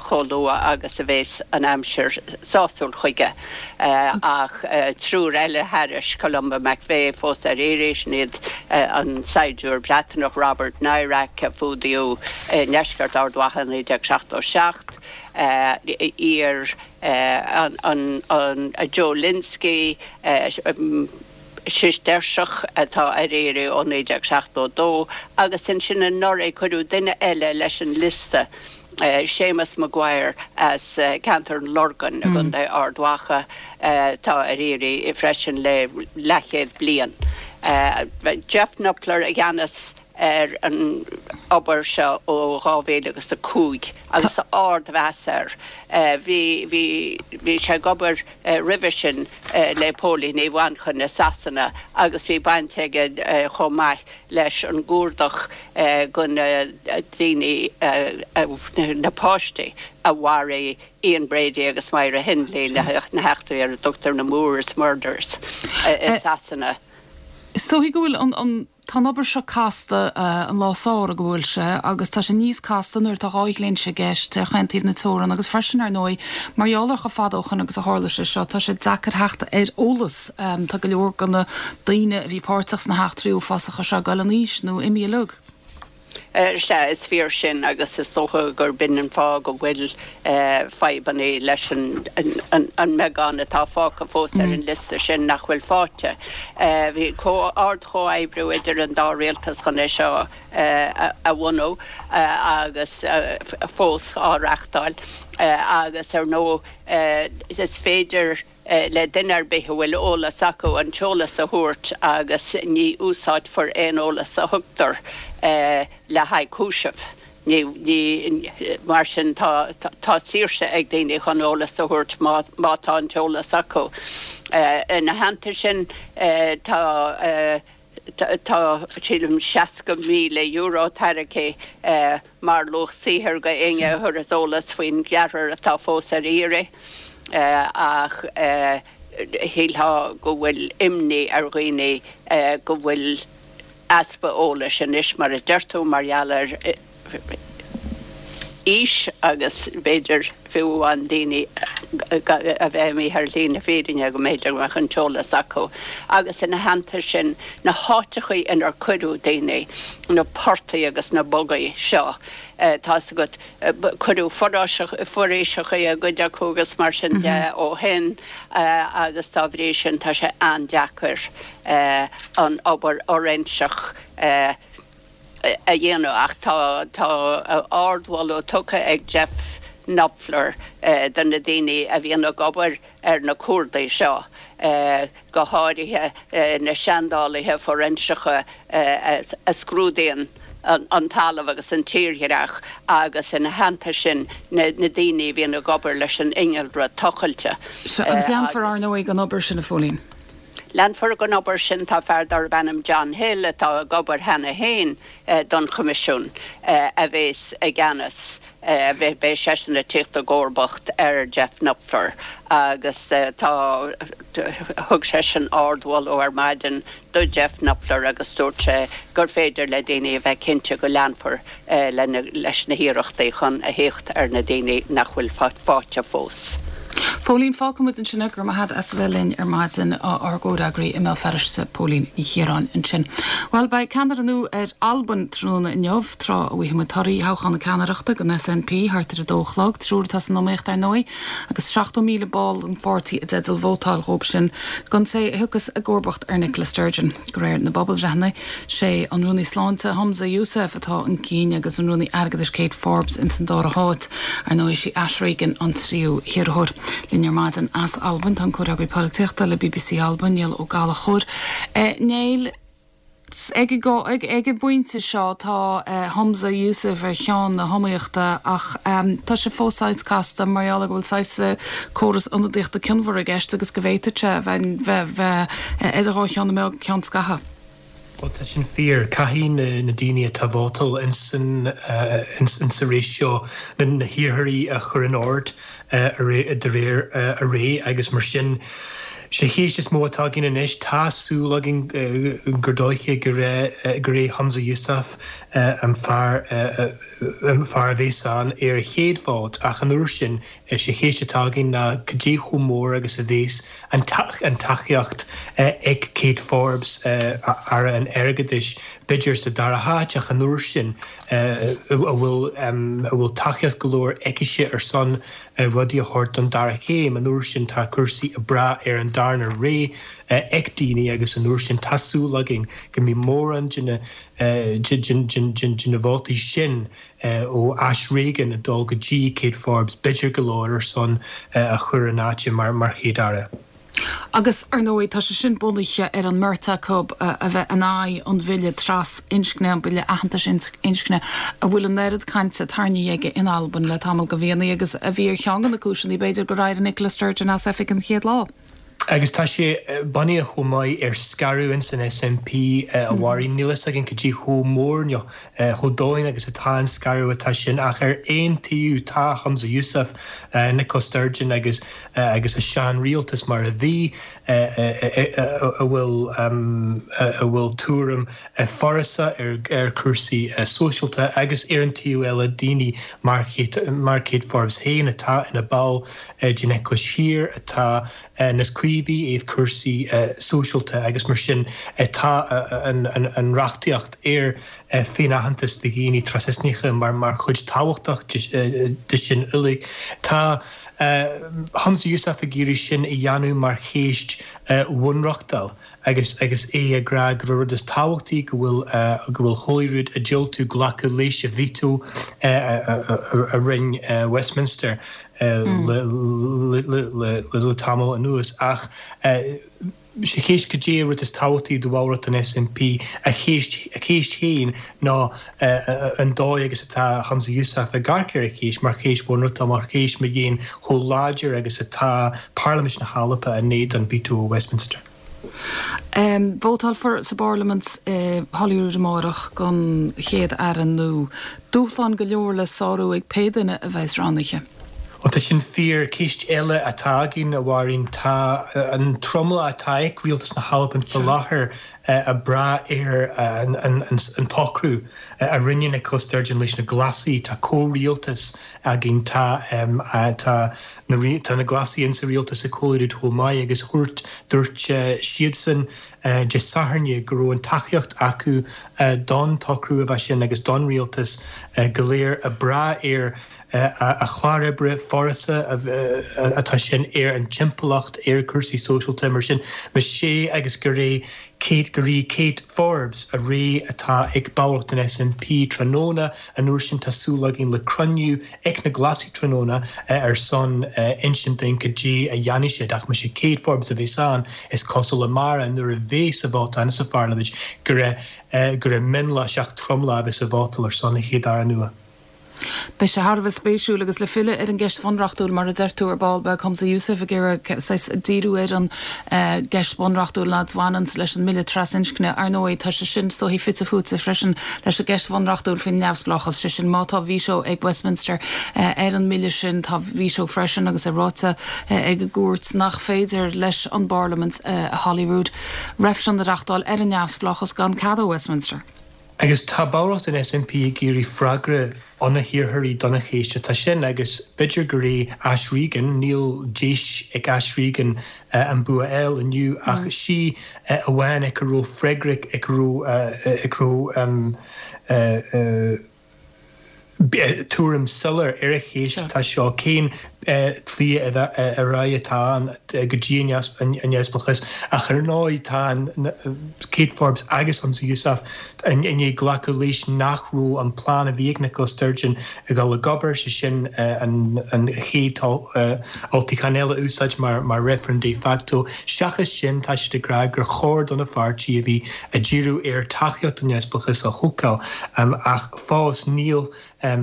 chomh luath agus a bhéas an aimsir sásúil chuige. Ach triúr eile thairis, Columba McVeigh fós ar iarraidh, sin iad an saighdiúir Breatnach Robert Nairac a fuadaíodh i ndeisceart Ard Mhacha i 1977, iar an Joe Lynskey, Sisteirseach atá ar iarraidh ó 1972, agus ansin anuraidh cuireadh duine eile leis an liosta, Séamus Maguire as ceantar an Lorgain i gContae Ard Mhacha, atá ar iarraidh freisin le leathchéad bliain. Geoff Knupfler i gceannas ar an obair seo ó 2000 agus 5 agus ardmheas air. Bhí, bhí, bhí sé ag obair roimhe sin le póilíní Mhanchain i Sasana agus bhí baint aige chomh maith leis an gcuardach go na daoine, na páistí a mharaigh Ian Brady agus Myra Hindley, na heachtraí ar a dtugtar na Moors Murders i Sasana. Is dóichí go bhfuil an, an. Tá an obair seo casta, an lá samhraidh go bhfuil sé, agus tá sé níos casta nuair atá dhá dhlínse i gceist ar chaon taobh na teorann agus freisin, ar ndóigh, mar gheall ar chomh fada ó shoin agus a tharla sé seo, tá sé deacair theacht ar eolas. Tá go leor de na daoine a bhí páirteach sna heachtraí uafásacha seo ag dul in aois nó imithe uilig. Sea, is fíor sin agus is dócha gurb in an fáth go bhfuil fadhbanna leis an mbeagán atá fágtha fós ar an liosta sin nach bhfuil faighte. Bhí ard-chomhoibriú idir an dá rialtas chun é seo a bhunú agus fós á reáchtáil agus ar ndóigh is féidir le duine ar bith a bhfuil eolas acu an t-eolas a thabhairt agus ní úsáidfear aon eolas a thugtar le haghaidh cúisimh. Ní, ní, mar sin tá, tá saoirse ag daoine chun eolas a thabhairt má, má tá an t-eolas acu. Ina theannta sin tá. Tá, sílim, €60,000 tairgthe mar luach saothair go éinne a thabharfas eolas faoin gceathrar atá fós ar iarraidh ach shílfeá go bhfuil imní ar dhaoine go bhfuil easpa eolais anois, mar a deir tú, mar gheall ar aois agus b'fhéidir fiú amháin daoine a bheith imithe ar shlí na fírinne go mb'fhéidir go mbeadh an t-eolas acu. Agus ina theannta sin, na háiteachaí inar cuireadh daoine, na portaigh agus na bogaigh seo, tá's agat, cuireadh foraoiseachaí i gcuid acu agus mar sin de ó shin agus dá bhrí sin tá sé an-deacair an obair fhoiréinseach a a dhéanamh ach tá tá ardmholadh tugtha ag Geoff Knupfler do na daoine a bhíonn ag obair ar na cuardaigh seo, go háirithe na seandálaithe fóiréinseacha a scrúdaíonn an talamh agus an tírdhreach agus ina theannta sin na daoine a bhíonn ag obair leis an innealra tochailte. Sea, agus leanfar, ar ndóigh, den obair sin, a Phóilín. Leanfar den obair sin. Tá fear darb ainm John Hill, atá ag obair cheana féin don Choimisiún, a bhéas i gceannas. Beidh seisean ag tíocht i gcomharbacht ar Geoff Knupfler agus tá, thug seisean ardmholadh ar maidin do Geoff Knupfler agus dúirt sé gur féidir le daoine a bheith cinnte go leanfar leis na hiarrachtaí chun a thíocht ar na daoine nach bhfuil faighte fós. Póilín, Fágfaidh muid ansin é, go raibh maith agat as a bheith linn ar maidin, ár gcomhfhreagraí i mBéal Feirste, Póilín Ní Chiaráin ansin. Bhuel, beidh ceannaire nua ar Albain tráthnóna inniu, tráth a bhfaighidh muid torthaí thoghchán na ceannaireachta don SNP thart ar a dó a chlog, triúr atá san iomaíocht ar ndóigh, agus 70,000 ball den pháirtí i dteideal vótáil dhóibh sin don té a thiocfas i gcomharbacht ar Nicola Sturgeon. De réir na bpobalbhreitheanna, sé an Rúnaí Sláinte, Humza Yousaf, atá chun cinn agus an Rúnaí Airgeadais Kate Forbes ins an dara háit. Ar ndóigh, sí Ash Regan an tríú hiarrthóir. Linn ar maidin as Albain tá an comhfhreagraí polaitíochta le bbc Alba, Niall Ó Gallchóir. Niall, ag ag an bpointe seo tá Humza Yousaf ar cheann na hiomaíochta ach tá sé fós saghas casta mar gheall ar go bhfuil saghas córas ionadaíochta cionmhar i gceist agus go bhféadfadh sé bheith bheith idir dhá cheann na meá go ceann scatha. Ó tá sin fíor. Caithfidh na daoine atá ag vótáil ins an sa rás seo na hiarrthóirí a chur in ord de réir a ré agus mar sin sé chéist is mó atá againn anois. Tá súil againn gur dóiche gur é Humza Yousaf an fear an fear a bhéas ann ar a chéad vót ach an uair sin sé chéist atá againn ná cad é chomh mór agus a bhéas an tacaíocht ag Kate Forbes, Aire an Airgeadais, b'fhéidir sa dara háit ach an uair sin a bhfuil a bhfuil tacaíocht go leor aicise ar son rudaí a thabhairt don dara chéim, an uair sin tá cúrsaí ag brath ar an darna ré ag daoine agus an uair sin tá súil againn go mbeidh mórán de na de na vótaí sin ó Ash Regan ag dul go dtí Kate Forbes, b'fhéidir go leor ar son a chur in áit mar Chéad-Aire. Agus, ar ndóigh, tá sé sin bunaithe ar an mbeirt acu a bheith in aghaidh an bhille tras-inscne, an bille aitheantais inscne, a bhfuil an oiread cainte tarraingthe aige in Albain le tamall de mhíonna agus a bhí ar cheann de na cúiseanna, b'fhéidir, gur éirigh Nicola Sturgeon as oifig an chéad lá. Agus tá sé bunaithe chomh maith ar scaradh ins an SNP, a Mháirín. Níl fhios againn cad é chomh mór nó chomh domhain agus atá an scaradh atá sin ach ar aon taobh tá Humza Yousaf, Nicola Sturgeon agus agus a sean-rialtas mar a bhí, a bhfuil a bhfuil tuairim forásach ar chúrsaí sóisialta agus ar an taobh eile daoine mar mar Kate Forbes féin atá ina ball den Eaglais Thiar atá níos caomhaí i dtaobh cúrsaí sóisialta agus mar sin tá an reachtaíocht ar féin-aitheantas do dhaoine trasinscneacha mar chuid tábhachtach de sin uilig. Tá Humza Yousaf ag iarraidh sin a dhéanamh mar cheist bhunreachtúil. agus agus é ag rá gur an rud is tábhachtaí go bhfuil go bhfuil Holyrood ag diúltú glacadh leis an veto a rinne Westminster le le tamall anuas ach sé cheist cad é an rud is tábhachtaí do bhallraíocht an SNP a cheist a cheist féin ná an dóigh agus atá Humza Yousaf ag amharc ar an cheist mar cheist bhunreachtúil mar cheist mar gheall chomh láidir agus atá Parlaimint na hAlba in éadan veto ó Westminster. Vótálfar sa bParlaimint i Holyrood amárach don Chéad-Aire nua. Dúshláin go leor le sárú ag pé duine a bheas roghnaithe. Ó tá sin fíor. Ceist eile atá againn, a Mháirín, tá an tromlach atá ag Rialtas na hAlban faoi láthair ag brath ar an tsocrú a rinne Nicola Sturgeon leis na Glasaigh. Tá comhrialtas againn, tá tá Tá na Glasaigh insa rialtas ag Holyrood chomh maith agus dhúirt dúirt siadsan Dé Sathairn go raibh an tacaíocht acu don tsocrú a bheith sin agus don rialtas go léir ag brath ar a chlár oibre forásach atá sin ar an timpeallacht, ar cúrsaí sóisialta mar sin. Más é agus gur é Kate gur í Kate Forbes an ré atá ag ballraíocht an SNP tráthnóna, an uair sin tá súil againn le cruinniú ag na Glasaigh tráthnóna ar son insint dúinn cad é a dhéanfaidh siad ach más é Kate Forbes a bheas ann is cosúil amárach nuair a bheas an vóta ann sa pharlaimint gur gur mionlach seach tromlach a bheas ag vótáil ar son an Chéad-Aire nua. Beidh sé thar a bheith spéisiúil agus le filleadh ar an gceist bhunreachtúil mar a deir tú ar ball beidh Humza Yousaf ag iarraidh saghas díriú ar an gceist bhunreachtúil a bhaineanns leis an mbille trasinscne. Ar ndóigh, tá sé sin is dóichí fite fuaite freisin leis an gceist bhunreachtúil faoin neamhspleáchas, sé sin má tá veto ag Westminster ar an mbille sin, tá veto freisin agus é ráite ag an gcúirt nach féidir leis an bParlaimint i Holyrood reifreann a reachtáil ar an neamhspleáchas gan cead ó Westminster. Agus tá ballraíocht an SNP ag iarraidh freagra ó na hiarrthóirí don cheist atá sin agus b'fhéidir gur é Ash Regan, níl deis ag Ash Regan an bua a fháil inniu ach sí amháin ag a raibh freagra ag a raibh ag a raibh tuairim soiléir ar an cheist atá seo, cén tslí ar aghaidh atá ann go dtí an neamhspleáchas ach ar ndóigh tá Kate Forbes agus Humza Yousaf i ndiaidh glacadh leis nach raibh an plean a bhí ag Nicola Sturgeon ag dul ag obair, sé sin an chéad olltoghchán eile a úsáid mar reifreann de facto. Seachas sin tá siad ag rá gur chóir do na pháirtí a bhí ag díriú ar tacaíocht don neamhspleáchas a thógáil ach fós níl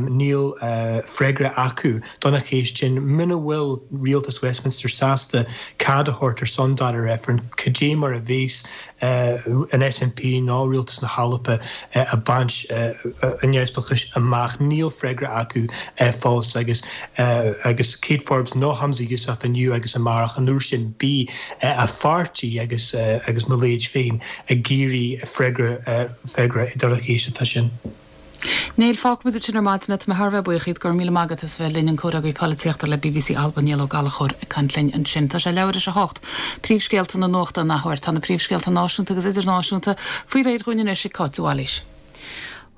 níl freagra acu don cheist sin. Muna bhfuil rialtas Westminster sásta cead a thabhairt ar son dara reifreann, cad é mar a bheas an SNP nó rialtas na hAlba ag baint an neamhspleáchais amach? Níl freagra acu fós agus agus Kate Forbes nó Humza Yousaf inniu agus amárach, an uair sin beidh a pháirtí agus agus mo leithéid féin ag iarraidh freagra freagra ar an cheist atá sin. Niall, fágfaimid ansin ar maidin é. Tá mé thar a bheith buíoch díot. Go raibh míle maith agat as a bheith linn, an Comhfhreagraí Polaitíochta le bbc Alba, Niall Ó Gallchóir, ag caint linn ansin. Tá sé leathuair théis a hocht. Príomhscéalta na nuachta an athuair. Tá na príomhscéalta náisiúnta agus idirnáisiúnta faoi réir dhúinn anois ag Cáit de Bhailís.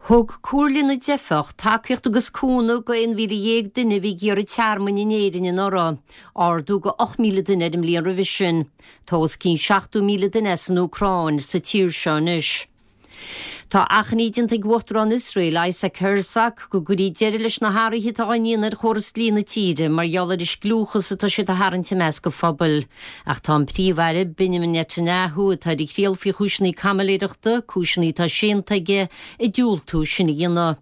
Thug Comhairle na dTeifeach tacaíocht agus cúnamh go 11,000 duine a bhí ag iarraidh tearmainn in Éirinn anuraidh, ardú go 8,000 duine ar an mbliain roimhe sin. Tá os cionn 70,000 duine as an Úcráin sa tír seo anois. Tá achainí déanta ag Uachtarán Iosrael, Isaac Herzog, go gcuirfí deireadh leis na hathruithe atá á ndéanamh ar chóras dlí na tíre mar gheall ar an scliúchas atá siad a tharraingt i measc an phobail. Ach tá an Príomh-Aire, Benjamin Netanyahu, atá ar a thriail faoi chúiseanna caimiléireachta, cúiseanna atá séanta aige, ag diúltú sin a dhéanamh.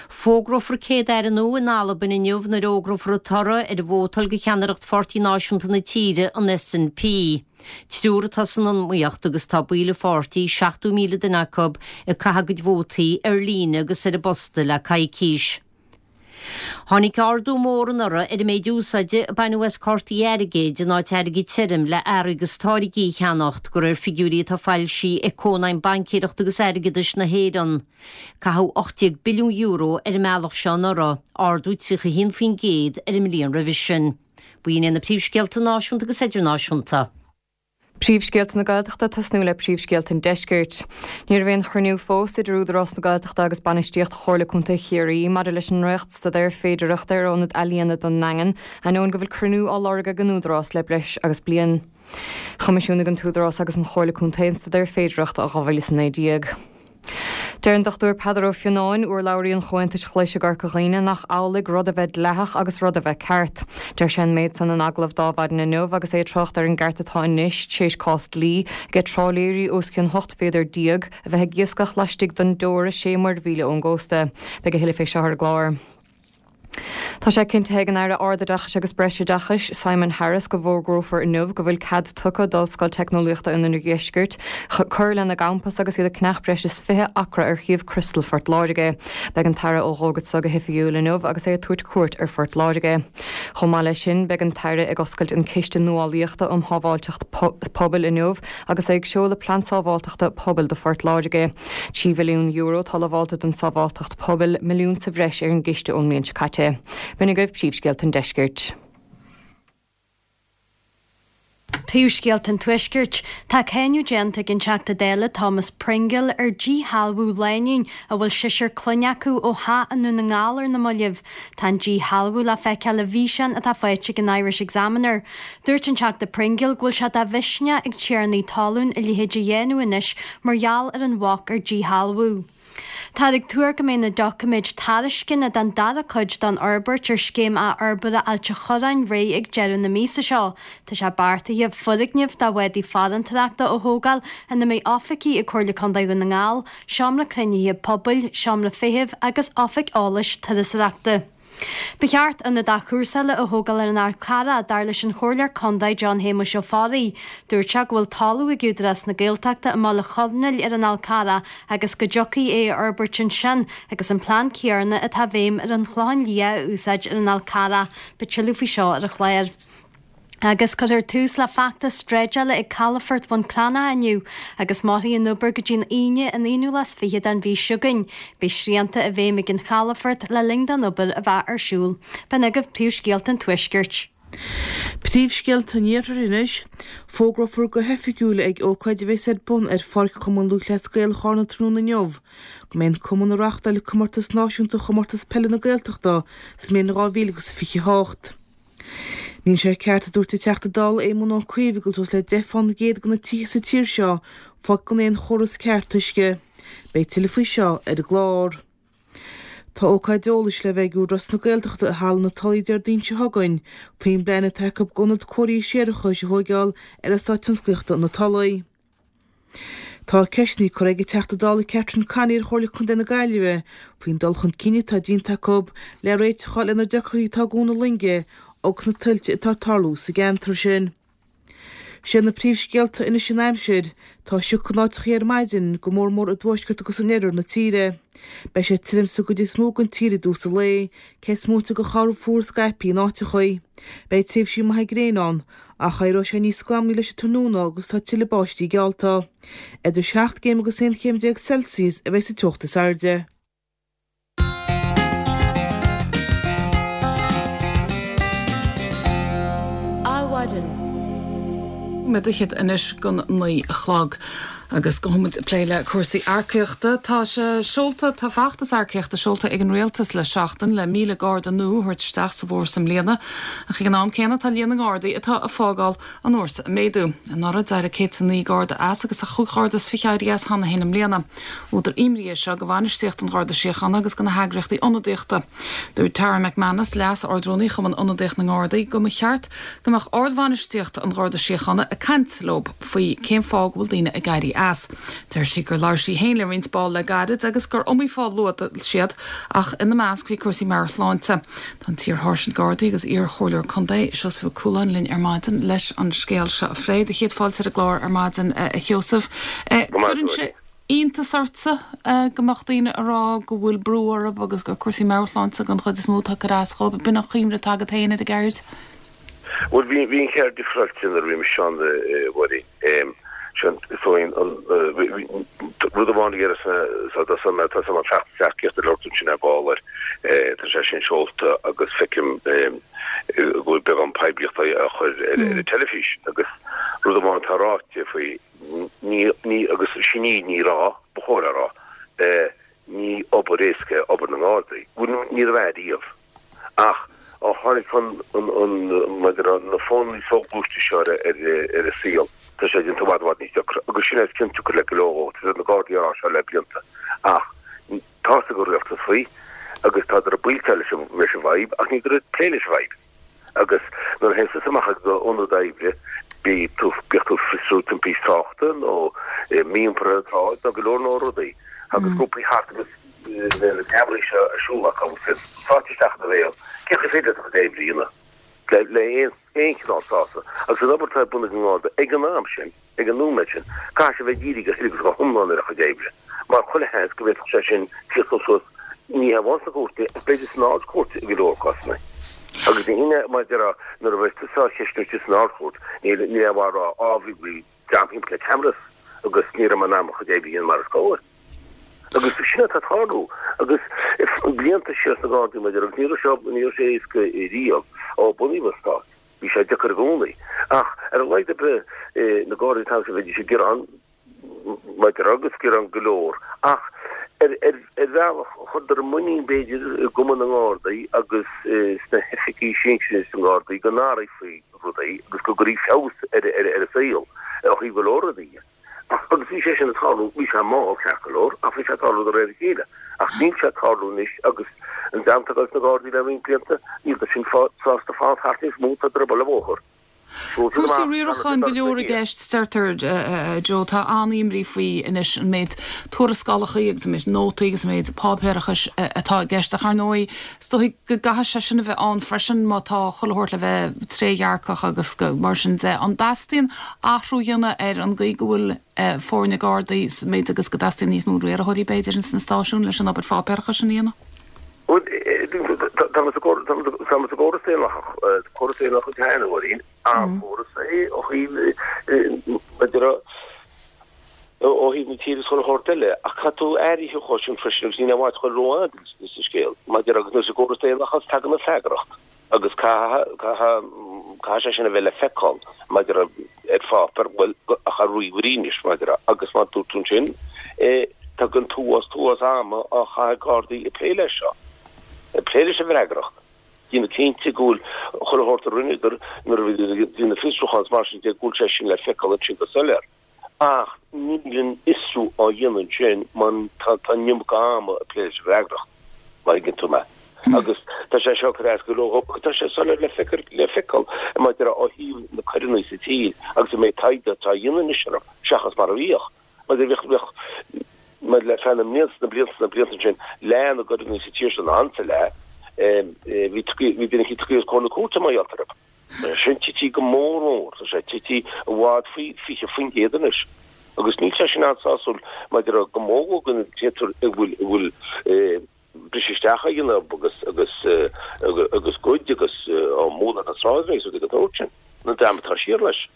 Fógrófar Céad-Aire nua in Albain inniu nuair a fhógrófar an toradh ar an vótáil do cheannaireacht Pháirtí Náisiúnta na tíre, an SNP. Triúr atá san iomaíocht agus tá baill an pháirtí, 70,000 duine acu, ag caitheamh a gcuid vótaí ar líne agus ar an bposta le coicís. Tháinig ardú mór anuraidh ar an méid úsáide a baineadh as cártaí airgid in áit airgead tirim le earraí agus táirgí a cheannacht, de réir figiúirí atá foilsithe ag Cónaidhm Baincéireachta agus Airgeadais na hÉireann. Caitheadh €18 billiún ar an mbealach seo anuraidh, ardú 31% ar an mbliain roimhe sin. B'in iad na príomhscéalta náisiúnta agus idirnáisiúnta. Príomhscéalta na Gaeltachta ag tosnú le príomhscéalta an Deiscirt. Ní raibh aon chruinniú fós idir Údarás na Gaeltachta agus bainistíocht Chomhairle Contae Chiarraí maidir leis an ndréachtstaidéar féidearthachta ar ionad ealaíona don nDaingean, ainneoin go bhfuil cruinniú á lorg ag an Údarás le breis agus bliain. Choimisiúnaigh an tÚdarás agus an Chomhairle Contae an staidéar féidearthachta i 2019. Deir an Dr Peadar Ó Fionnáin, urlabhraí an Chomhaontais Ghlais i gCorca Dhuibhne, nach amhlaidh rud a bheith dleathach agus rud a bheith ceart. Deir sé an méid san in agallamh d'Adhmhaidin inniu agus é ag trácht ar an gceart atá anois, tar éis cás dlí, aige trálaeirí os cionn 18 mhéadar a bheith ag iascach laistigh den dteora 6 muirmhíle ón gcósta. Beidh a thuilleadh fé seo ar an gclár. Tá sé cinntithe ag an Aire Ardoideachais agus Breisoideachais, Simon Harris, go bhfógrófar inniu go bhfuil cead tugtha d'Ollscoil Teicneolaíochta an Oirdheiscirt cur lena gcampas agus iad ag ceannach breis is 20 acra ar shuíomh Crystal Phort Láirge. Beidh an tAire á fhógairt seo go hoifigiúil inniu agus é ag tabhairt cuairt ar Phort Láirge. Chomh maith leis sin, beidh an tAire ag oscailt an Ciste Nuálaíochta um Shábháilteacht Pobail inniu agus é ag seoladh Plean Sábháilteachta Pobail do Phort Láirge. €3 mhilliún atá lamhálta don tsábháilteacht pobail, milliún sa bhreis ar an gciste ón mbliain seo caite. B'in agaibh príomhscéalta an deiscirt. Príomhscéalta an Tuaiscirt. Tá cáineadh déanta ag an Teachta Dála Thomas Pringle ar díshealbhú lánúin a bhfuil seisear clainne acu ó theach i nDún na nGall ar na mallaibh. Tá an díshealbhú le feiceáil i bhfíseán atá faighte ag an Irish Examiner. Dúirt an Teachta Pringle go bhfuil sé de mhisneach ag tiarnaí talún a leithéid a dhéanamh anois mar gheall ar an bhac ar díshealbhú. Táthar ag tuar go mbeidh na doiciméid tairisceana don dara cuid don fhorbairt ar Scéim Athfhorbartha Ailt an Chorráin réidh ag deireadh na míosa seo. Tá sé beartaithe foirgneamh do bhádaí farantóireachta a thógáil ina mbeidh oifigí ag Comhairle Contae Dhún na nGall, seomra cruinnithe pobail, seomra feithimh agus oifig eolais turasóireachta. Ba cheart ionad athchúrsála a thógáil ar an Fhál Carrach, dar leis an Chomhairleoir Contae John Shéamuis Ó Fearraigh. Dúirt sé go bhfuil talamh ag Údarás na Gaeltachta i mBaile Chonaill ar an Fhál Carrach agus go dtiocfaí é a fhorbairt ansin agus an plean céanna atá i bhfeidhm ar an Chlochán Liath a úsáid ar an Fhál Carrach. Beidh tuilleadh faoi seo ar an chlár. Agus cuirfear tús le feachtas dreideála ag Calafort Bhun Cranncha inniu agus mairfidh an obair go dtí an Aoine an aonú lá is fiche den mhí seo chugainn. Beidh srianta i bhfeidhm ag an chalafort le linn don obair a bheith ar siúl. B'in agaibh príomhscéalta an Tuaiscirt. Príomhscéalta an Iarthair anois. Fógrófar go hoifigiúil ag ócáid a bheas ar bun ar Pháirc Chumann Lúthchleas Gael Charna tráthnóna inniu go mbeidh an cumann ag reáchtáil comórtas náisiúnta Chomórtas Peile na Gaeltachta sa mbliain 2028. Níl sé ceart, a dúirt an Teachta Dála Éamon Ó Cuív, go bhfuil suas le 10 fán gcéad de na tithe sa tír seo fágtha gan aon chóras ceart uisce. Beidh tuilleadh faoi seo ar an gclár. Tá ócáid eolais le bheith ag Údarás na Gaeltachta i Halla na Tulaí Déardaoin seo chugainn faoin bplean atá acu d'ionad cóirithe séarachais a thóigeáil ar Eastát Tionsclaíochta na Tulaí. Tá ceisteanna curtha ag an Teachta Dála Catherine Connolly ar Chomhairle Contae na Gaillimhe faoin dul chun cinn atá déanta acu le réiteach a fháil ar na deacrachtaí atá ag Cuan na Loinge. agus na tuilte atá ag tarlú sa gceantar sin. Sé na príomhscéalta anois an aimsir. Tá sioc in áiteachaí ar maidin, go mór mór i dtuaisceart agus in oirthear na tíre. Beidh sé tirim sa gcuid is mó den tír i dtús an lae, cé is móite de chorr fuar scaipthe in áiteachaí. Beidh tréimhsí maithe gréine ann, ach éireoidh sé níos scamhallaí leis an tráthnóna agus tá tuilleadh báistí geallta. Idir 7 gcéim agus 11 chéim Celsius a bheidh sa teocht is airde. Adhmhaidin. Nóiméad fhichead anois don 9 a chlog agus gabhfaidh muid ag plé le cúrsaí earcaíochta. Tá sé seolta, tá feachtas earcaíochta seolta ag an Rialtas le seachtain le 1,000 Garda nua a thabhairt isteach sa bhfórsa i mbliana. Ach ag an am céanna tá líon na nGardaí atá ag fágáil an fhórsa ag méadú. Anuraidh d'éirigh 109 Garda as agus tá chúig Gharda is fiche éirithe as cheana féin i mbliana. Údar imní é seo do bhainistíocht an Gharda Síochána agus do na heagraíochtaí ionadaíochta. Dúirt Tara McManus, Leas-Ardrúnaí Chumann Ionadaíoch na nGardaí, go mba cheart go mbeadh ardbhainistíocht an Gharda Síochána ag caint leo faoi cén fáth go bhfuil daoine ag éirí as. Deir sí gur labhair sí féin le roinnt ball le gairid agus gur iomaí fáth a luaigh siad ach ina measc bhí cúrsaí meabhairshláinte. Tá an t-iar-sháirsint Gardaí agus iar-chomhairleoir contae, Seosamh Ó Cualáin linn ar maidin leis an scéal seo a phlé. Do chéad fáilte ar an gclár ar maidin, a Sheosaimh. Cuireann sé iontas ortsa go mbeadh daoine ag rá go bhfuil brú orthu agus gur cúrsaí meabhairshláinte den chuid is mó atá ag cur as dhóibh. B'in an chuimhne atá agat féin ar an gceird? Bhuel, bhí an cheird difreáilte nuair a bhí mise ann, a Mháirín. Sin, is dóigh, an rud amháin a dhéarfas mé, tá an feachtas earcaíochta a labhair tú ansin ar ball air, tá sé sin seolta agus feicim go bhfuil beagán poiblíochta á chur ar an teilifís agus rud amháin atá ráite faoi, ní, ní, agus sin í, ní raibh, ba chóir a rá, ní obair éasca é obair na nGardaí. Bhuel, ní raibh ariamh. Ach ó tháinig an, an, mar a déarfá, na fónanna soghluaiste seo ar, ar, ar an saol, tá sé déanta i bhfad, i bhfad níos deacra. Agus sin é is cionsiocair le go leor dhó. Tá na Gardaí á rá seo le blianta. Ach tá fhios ag an rialtas faoi agus tádar ag buailteáil leis an, leis an bhfadhb ach níl siad ag plé leis an bhfadhb. Agus nuair a théann tusa amach ag d'ionad oibre, bíodh tú, bíodh tú ag fiosrú timpist tráchta nó mí-iompar ar an tsráid nó go leor leor rudaí, agus grúpaí thart agus na ceamaraí seo ar siúl acu agus iad sáite isteach ina bhéal, cén chaoi féidir leat do chuid oibre a dhéanamh le, le aon, aon chineál sásamh? Agus an obair atá ar bun ag an nGarda ag an am sin, Ag an nóiméad sin, caithfidh sé bheith dírithe go huile agus go hiomlán ar a chuid oibre, mar chuile sheans go bhféadfadh sé sin tíocht suas ní hamháin sna cúirteanna ach b'fhéidir san Ard-Chúirt i go leor cásanna. Agus ní hionadh, mar a déarfá, nuair a bheas tusa á cheistiú istigh san Ard-Chúirt, níl aon mhaith a rá, á, bhí, bhí dream thimpeall le cameras agus ní raibh mé in ann mo chuid oibre a dhéanamh mar is cóir. Agus sin atá ag tarlú. Agus blianta siar sna Gardaí, mar a déarfá, agus ní raibh sé, ní raibh sé éasca riamh ó bunaíodh an stát. Bhí sé deacair i gcónaí. Ach ar a laghad ar bith, na Gardaí an t-am sin, bheidís ag gearán, mar a déarfá, agus gearán go leor. Ach ar bhealach, chuireadar muinín, b'fhéidir, i gCumann na nGardaí agus sna hoifigigh sinsir sna Gardaí go n-athrófaí rudaí agus go gcuirfí feabhas ar an saol ó thaobh go leor rudaí dhe. Ach, agus bhí sé sin ag tarlú, bhí sé mall, ceart go leor, ach bhí sé ag tarlú de réir a chéile. Ach níl sé ag tarlú anois agus an dream atá ag dul sna Gardaí le roinnt blianta, níl siad sásta fanacht thart níos mó, tá siad ag dul an bóthar. Cúrsaí riaracháin go leor i gceist, deirtear, Joe. Tá an-imní faoi anois an méid tuarascálacha agus an méid nótaí agus an méid páipéarachais atá i gceist. Ach ar ndóigh, Is dóigh go gcaithfidh sé sin a bheith ann freisin má tá chuile shórt le bheith trédhearcach agus mar sin de. An dteastaíonn athrú a dhéanamh ar an gcaoi go bhfuil foirne Gardaí sa méid agus go dteastaíonn níos mó riarthóirí b'fhéidir ins na stáisiúin leis an obair pháipéarachais sin a dhéanamh? Bhuel, tá muid sa gcóras daonlathach, córas daonlathach cheana, a Mháirín, an-chóras é ó thaobh, maidir le, ó thaobh na tíre is chuile shórt eile, ach caithfidh tú aire a thabhairt dhó sin freisin agus níl aon mhaith a dhul rófhada sa scéal. Maidir agus nuair sa gcóras daonlathas tagann an freagracht agus caithfidh, caithfidh sé sin a bheith le feiceáil maidir ar pháipéar, bhuel, ach ar ríomhairí anois maidir agus mar dúirt tú ansin, tagann t-uafás, t-uafás ama á chaitheamh ag Gardaí ag plé leis seo, ag plé leis an bhfreagracht. Déanamh cinnte go bhfuil chuile shórt a rinneadar nuair a bhí ag déanamh fiosrúchán is mar sin de, go bhfuil sé sin le feiceáil ansin go soiléir. Ach níl an fiosrú á dhéanamh ansin mar tá an iomarca ama ag plé leis an bhfreagracht, má thuigeann tú mé. Agus tá sé seo ag cur as go leor agus tá sé soiléir le le feiceáil maidir ó thaobh na coireanna sa tír agus an méid taighde atá á dhéanamh anois orthu seachas mar a bhíodh. Maidir bhíodh bhíodh maidir le feadh na mblianta na blianta na blianta ansin leath na gcoireanna sa tír seo nó an-leath. Bhí bhí duine eicínt tugtha os comhair na cúirte mar gheall orthu. Sin tití go mór mór, tá sé tití i bhfad faoi 20% anois. Agus níl sé sin an-sásúil maidir le go mó go dtéitear a bhfuil a bhfuil briseadh isteach á dhéanamh agus agus agus goid agus á mbualadh ar na sráideanna agus rudaí den tsórt sin. An dream atá siar leis.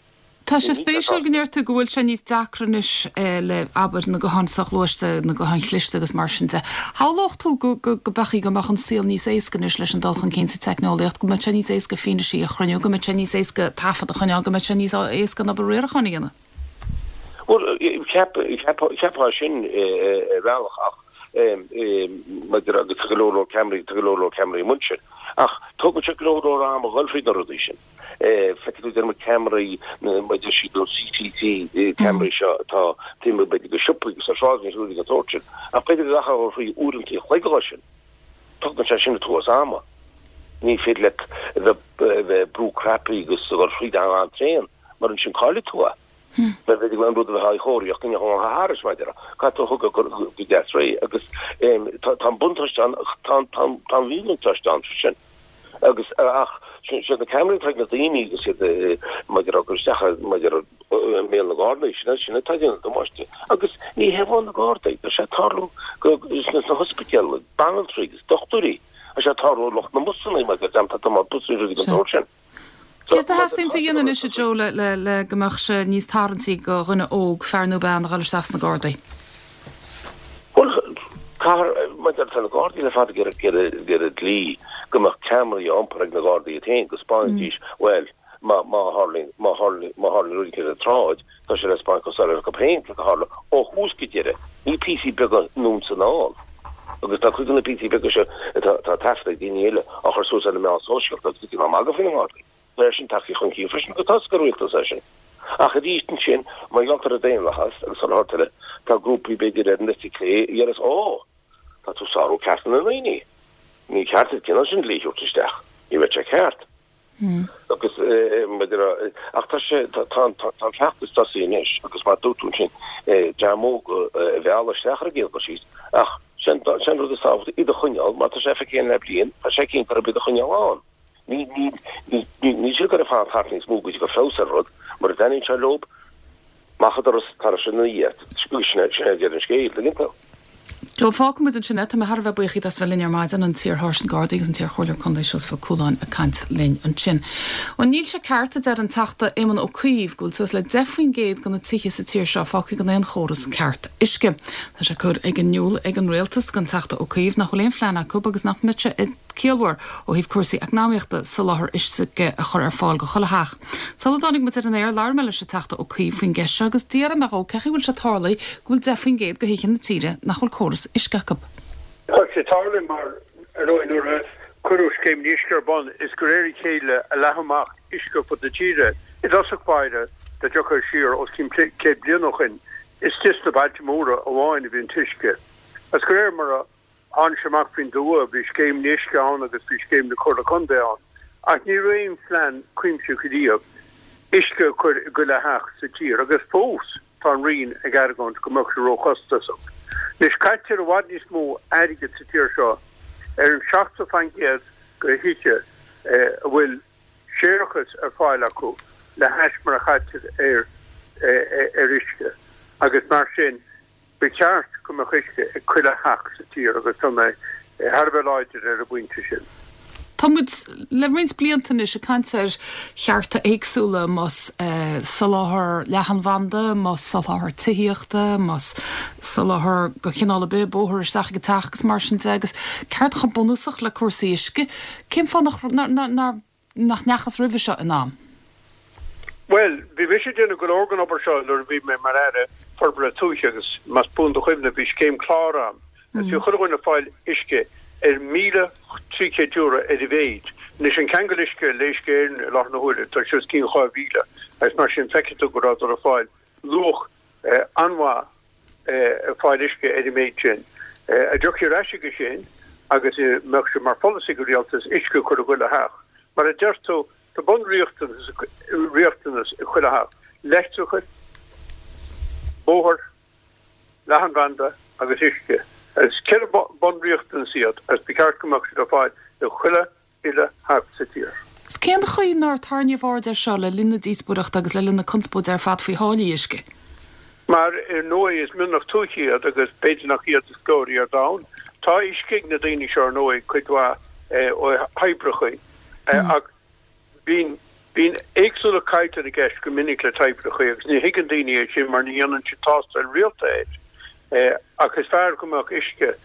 Tá sé spéisiúil go ndeir tú go bhfuil sé níos deacra anois le, abair, na gutháin soghluaiste, na gutháin chliste agus mar sin de. Shamhlódh tú go mbeadh, go mbeadh an saol níos éasca anois leis an dul chun cinn sa teicneolaíocht, go mbeadh sé níos éasca fianaisí a chruinniú, go mbeadh sé níos éasca taifead a choinneáil, go mbeadh sé níos éasca an obair riaracháin a dhéanamh. Bhuel, cheapfá sin ar bhealach ach maidir agus tá go leor leor ceamaraí, tá go leor leor ceamaraí amuigh ansin. Ach tógann sé go leor leor ama a dhul fríd na rudaí sin. Feicfidh tú déarfaidh muid ceamaraí mar a deir siad an CCTV ceamaraí seo atá taobh amuigh b'fhéidir de siopaí agus ar shráideanna agus rudaí den tsórt sin. Ach b'fhéidir go gcaithfeá a dhul fríd uaireanta an chloig dhó sin. Tógann sé sin an t-uafás ama. Ní féidir leat a bheith ag brú cnaipí agus a dhul fríd an-tréan mar ansin caillfidh tú é. Mar b'fhéidir go bhfuil an rud a bheith á chóiríocht go ndéanfadh an thairis mar a déarfá. Caithfidh tú a thoghadh go deas réidh agus tá an buntáiste ann ach tá an mhíbhuntáiste ann freisin. Agus ach siad na ceamaraí atá ag na daoine agus iad mar a déarfá ag cur isteach mar a déarfá i mbéal na nGardaí, sin sin atá ag déanamh damáiste. Agus ní hé amháin na Gardaí, tá sé ag tarlú go sna hospidéil, banaltraí agus dochtúirí, tá sé ag tarlú lucht na mbusanna mar a déarfá, dream atá ag tiomáint busanna rudaí den tsórt sin. Céard a theastaíonn a dhéanamh anois, a Joe, le go mbeadh sé níos tarraingtí do dhuine óg, fear nó bean, a dhul isteach sna Gardaí? Bhuel, caithfear, mar tá na Gardaí le fada ag iarraidh dlí go mbeadh ceamaraí á iompar ag na Gardaí iad féin, go 'spáinfidís, bhuel, má tharlaíonn, má tharlaíonn, má tharlaíonn rud éicint ar an tsráid, tá sé le 'spáint go soiléir acu féin céard a tharla ó thús go deireadh, ní píosaí beaga anonn 's anall. Agus tá cuid de na píosaí beaga seo atá taifeadta ag daoine eile á chur suas ar na meáin sóisialta agus ag déanamh magadh faoi na nGardaí. Tá é sin tagtha chun cinn freisin agus tá a fhios ag an rialtas é sin. Ach arís ansin, mar gheall ar an daonlathas agus an sórt eile, tá grúpaí b'fhéidir ar an eite clé a deireas Ó! Tá tú ag sárú cearta na ndaoine. Ní ceart an cineál sin dlí a thabhairt isteach. Ní bheadh sé ceart. Agus maidir le, ach tá sé, tá an feachtas tosaithe anois agus mar a dúirt tú ansin, dream óg a mhealladh isteach ar an gcéad dul síos, ach sin an rud is tábhachtaí, iad a choinneáil, mar tá sé feicthe againn le bliain, tá sé cinnte gurb iad a choinneáil ann. Ní, ní, ní, níl siad ag goil ag fanacht thart níos mó go dtí go feabhas ar rud, mura dtaitníonn sé leo, Amach an doras tar éis ina dhiaidh. Sin é deireadh an scéil, tuigeann tú. Joe, fágfaidh muid ansin é. Tá mé thar a bheith buíoch díot as bheith linn ar maidin, an t-iar-Sháirsint Gardaí agus an t-iar-Chomhairleoir Contae Seosamh Ó Cualáin ag caint linn ansin. Bhuel, níl sé ceart, a deir an Teachta Éamon Ó Cuív, go bhfuil suas le 10% de na tithe sa tír seo fágtha gan aon chóras ceart uisce. Tá sé curtha in iúl ag an Rialtas don Teachta Ó Cuív nach bhfuil aon phlean acu agus nach mbeadh sé ciallmhar ó thaobh cúrsaí eacnamaíochta soláthar uisce a chur ar fáil go chuile theach. Sula dtáinig muid ar an aer, labhair mé leis an Teachta Ó Cuív faoin gceist seo agus d'fhiafraigh mé dhó cén chaoi a bhfuil sé tarlaithe go bhfuil 10% de thithe na tíre nach bhfuil córas uisce acu. Tá sé tarlaithe mar, ar ndóigh, nuair a cuireadh Scéim an Uisce ar bun, is de réir a chéile a leathadh amach uisce ar fud na tíre. I dtosach báire, dá dtiocfá siar os cionn 100 bliain ó shoin, istigh sna bailte móra amháin a bhí an t-uisce. Agus de réir mar a Tháinig sé amach faoin dtuath, bhí Scéim an Uisce ann agus bhí Scéim na Comhairle Contae ann, ach ní raibh aon phlean cuimsitheach riamh uisce a chur i gchuile theach sa tír agus fós tá an Roinn ag argóint go mbeadh sé róchostasach. Anois caitear i bhfad níos mó airgid sa tír seo ar an 70% de thithe a bhfuil séarachas ar fáil acu le hais mar a chaitear ar ar uisce agus mar sin Ba cheart go mbeadh uisce ag chuile theach sa tír agus tá mé thar a bheith láidir ar an bpointe sin. Tá muid le roinnt blianta anois ag caint ar chearta éagsúla, más soláthar leathanbhanda, más soláthar tithíochta, más soláthar de chineál ar bith, bóthar isteach ag an teach agus mar sin de, agus ceart chomh bunúsach le cúrsaí uisce. Cén fáth nach nach ndeachthas roimhe seo in am? Bhuel, bhí mise ag déanamh go leor den obair seo nuair a bhí mé mar Aire Forbartha Tuaithe agus más buan do chuimhne bhí scéim clár ann agus bhí chuile dhuine ag fáil uisce ar €1,300 ar a mhéid. Anois an ceangal uisce le Uisce Éireann i láthair na huaire tá sé os cionn 2,000 agus mar sin feicfidh tú go rabhadar ag fáil luach an-mhaith ag fáil uisce ar an méid sin. Dá dtiocfaí ar ais chuige sin agus mbeadh sé mar pholasaí ag an rialtas uisce a chur i gchuile theach. Mar a deir tú, tá bunriachtanas riachtanas i chuile theach, leictreachas, bóthar, leathanbhanda agus uisce. Is ceithre bunriachtanas iad agus ba cheart go mbeadh siad ar fáil. I chuile uile theach sa tír. 'S cén chaoi nár tarraingíodh aird air seo le linn na díospóireachta agus le linn na conspóide ar fad faoi tháillí uisce? Mar, ar ndóigh, is mionlach tuaithe iad agus b'fhéidir nach iad is glóraí ar domhan. Tá uisce ag na daoine seo, ar ndóigh, cuid mhaith ó thoibreacha, ach bíonn, bíonn éagsúlacht caighdeán i gceist go minic le toibreacha agus ní thuigeann daoine é sin mar ní dhéanann siad tástáil rialta air. Ach is fearr go mbeadh uisce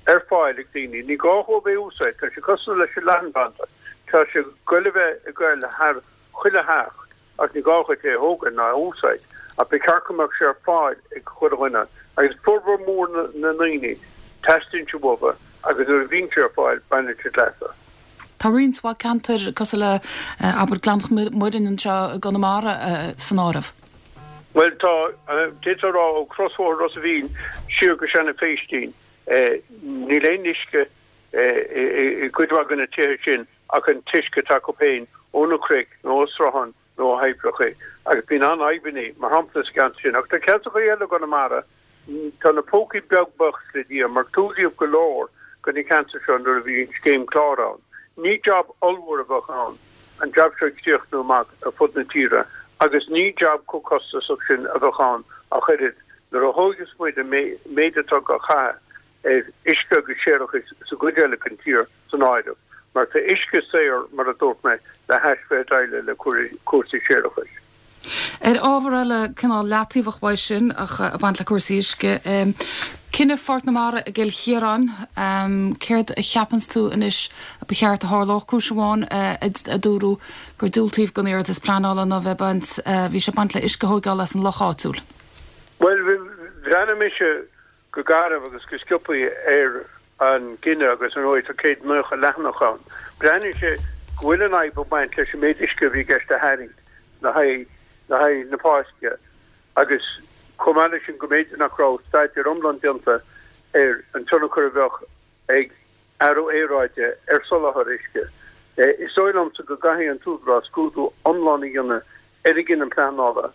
ar fáil ag daoine. Ní gá dhóibh é a úsáid, tá sé cosúil leis an leathanbhanda, tá sé ag goil a bheith ag goil thar chuile theach ach ní gá dhuit é a thógaint ná a úsáid. Ach ba cheart go mbeadh sé ar fáil ag chuile dhuine agus formhór mór na ndaoine, teastaíonn sé uathu agus nuair a bhíonn sé ar fáil, baineann siad leas as. Tá roinnt mhaith ceantair cosúil le, abair, Gleann Mhuirinn anseo i gConamara san áireamh. Bhuel, tá, d'fhéadfá a rá ó chrosbhóthar Ros a' Mhíl siar go Seanadh Phéistín, níl aon uisce i gcuid mhaith de na tithe sin ach an t-uisce atá acu féin ó na cnoic nó ó srutháin nó ó thoibreacha agus bíonn an-fhadhbanna, mar shampla, sa gceantar sin. Ach tá ceantracha eile i gConamara, tá na pócaí beag buíochas le Dia, mar tuailíodh go leor de na ceantair seo nuair a bhí an scéim clár ann. Ní jab ollmhór a bheadh ann an jab seo a chríochnú amach ar fud na tíre agus ní jab chomh costasach sin a bheadh ann ach oiread nuair a thóigeas muid an méid atá á chaitheamh ar uisce agus séarachas sa gcuid eile den tír san áireamh, mar tá uisce saor, mar a dúirt mé, le hais Bheith Eile le cúrsaí séarachais. Ar ábhar eile, cineál leataobhach uaidh sin ach ag baint le cúrsaí uisce, cinneadh Pháirc na Mara i gCill Chiaráin, céard a cheapanns tú anois a ba cheart a tharlódh? Cúis amháin a dúradh gur diúltaíodh don iarratas pleanála ná bheith baint, bhí sé ag baint le uisce a thóigeáil as an loch áitiúil. Bhuel, bhreathnaigh mise go garbh agus go sciobtha ar an gcinneadh agus ar ndóigh tá 190 leathanach ann. Breathnaíonn sé go bhfuil an fhadhb ag baint leis an méid uisce a bhí i gceist a tharraingt le haghaidh le haghaidh na Páisce agus chomh maith leis sin go mb'fhéidir nach raibh staidéar iomlán déanta ar an tionchar a bheadh ag athrú aeráide ar soláthar uisce. Is dóigh liomsa go gcaithfidh an tÚdarás scrúdú iomlán a dhéanamh ar an gcinneadh pleanála.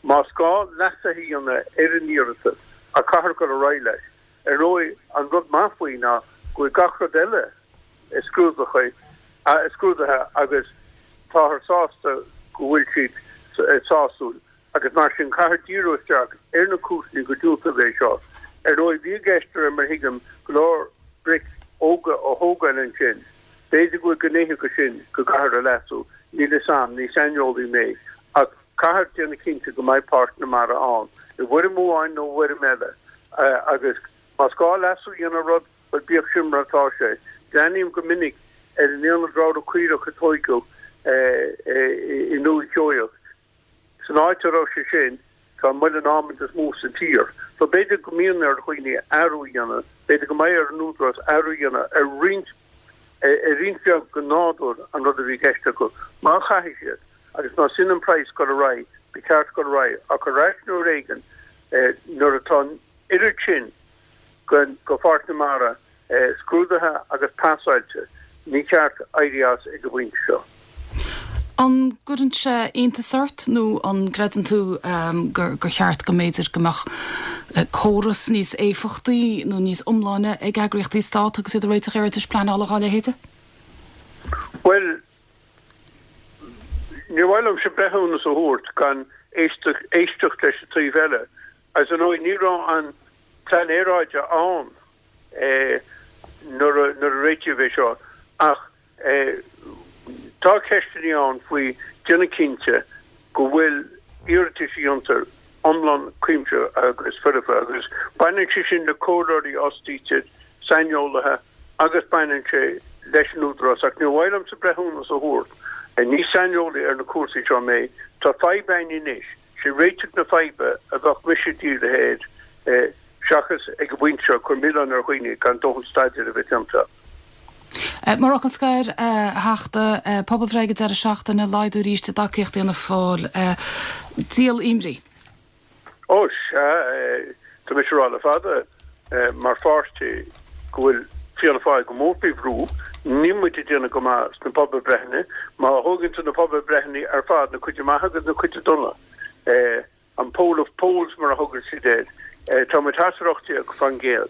Más gá leasuithe a dhéanamh ar an iarratas, ach caithfear dul ar aghaidh leis. Ar ndóigh, an rud maith faoi ná go bhfuil gach rud eile scrúdaithe agus táthar sásta go bhfuil siad sásúil agus mar sin caithfear díriú isteach ar na cúiseanna gur diúltaíodh é seo. Ar ndóigh, bhí i gceist, de réir mar a thuigim, go leor bric óga a thógáil ansin. B'fhéidir go bhfuil gnéithe de sin go gcaithfear a leasú, níl fhios a'm, ní saineolaí mé, ach caithfear déanamh cinnte go mbeidh Páirc na Mara ann, i bhfoirm amháin nó i bhfoirm eile, agus más gá leasú a dhéanamh ar rud, bhuel, bíodh sin mar atá sé. Breathnaím go minic ar an aonad ramhra caorach a tóigeadh i nDúiche Sheoigheach. San áit a raibh sé sin, tá an muileann ádhmaid is mó sa tír. So b'fhéidir go mbíonn ar dhaoine athrú a dhéanamh, b'fhéidir go mbeidh ar an Údarás athrú a dhéanamh ar roinnt, ar roinnt bheag de nádúr an rud a bhí i gceist acu. Má chaithfidh siad, agus más sin an praghas dul ar aghaidh, ba cheart dul ar aghaidh, ach ar ais uair éigin nuair atá an oiread sin de Pháirc na Mara scrúdaithe agus pasáilte, ní ceart éirí as ag an bpointe seo. An gcuireann sé iontas ort nó an gcreideann tú gur cheart go mb'fhéidir go mbeadh córas níos éifeachtaí nó níos iomláine ag eagraíochtaí Stát agus iad ag réiteach iarratais pleanála dhá leithéide? Bhuel, níor mhaith liomsa breithiúnas a thabhairt gan éisteacht leis an taobh eile. Agus ar ndóigh ní raibh an Plean Aeráide ann nuair a réitíodh é seo ach tá ceisteanna ann faoi déanamh cinnte go bhfuil iarratais a dhéantar iomlán cuimsitheach agus foirfe agus baineann sé sin le comhairleoirí a fhostaítear, saineolaithe agus baineann sé leis an Údarás ach níor mhaith liomsa breithiúnas a thabhairt, ní saineolaí ar na cúrsaí seo mé. Tá fadhb againn anois. Sé réiteach na faidhbe a bheadh mise dírithe air seachas ag an bpointe seo cur milleán ar dhaoine gan dóthain staidéir a bheith déanta. Mar fhocal scoir, a Theachta, pobalbhreith ag an deireadh seachtaine, laghdú arís i dtacaíocht Fhianna Fáil. Díol imní? Ó, sea. Tá mise ag rá le fada, mar pháirtí, go bhfuil Fianna Fáil go mór faoi bhrú. Níl muid ag déanamh go maith sna pobalbhreitheanna. Má thógann tú na pobalbhreitheanna ar fad, na cuid maithe agus na cuid dona, an poll of polls mar a thugann siad air, tá muid thart ar 18%.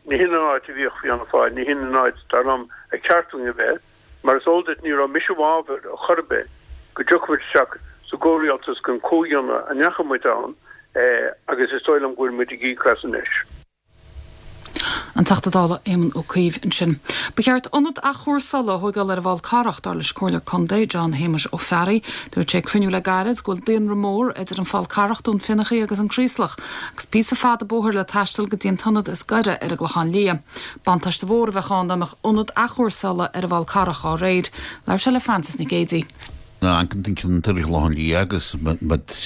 Ní hin an áit a bhíodh Fianna Fáil, ní hin an áit, dar liom, ar cheart dúinn a bheith. Mar is eol duit, ní raibh mise i bhfabhar ar chor ar bith go dtiocfadh muid isteach sa gcomhrialtas den chomhdhéanamh a ndeachaigh muid ann agus is dóigh liom go bhfuil muid ag íoc as anois. An Teachta Dála Éamon Ó Cuív ansin. Ba cheart ionad athchúrsála a thóigeáil ar an bhFál Carrach, dar leis an Comhairleoir Contae John Shéamuis Ó Fearraigh. Dúirt sé ag cruinniú le gairid go bhfuil daonra mór idir an Fál Carrach, Dún Fionnachaidh agus an Craoslach agus píosa fada bóthair le taisteal go dtí an t-ionad is gaire ar an gClochán Liath. Buntáiste mhór a bheadh ann dá mbeadh ionad athchúrsála ar an bhFál Carrach dá réir. Labhair sé le Frances Nic Géadaigh. Amharcann tú ceantar an Chlocháin Liath agus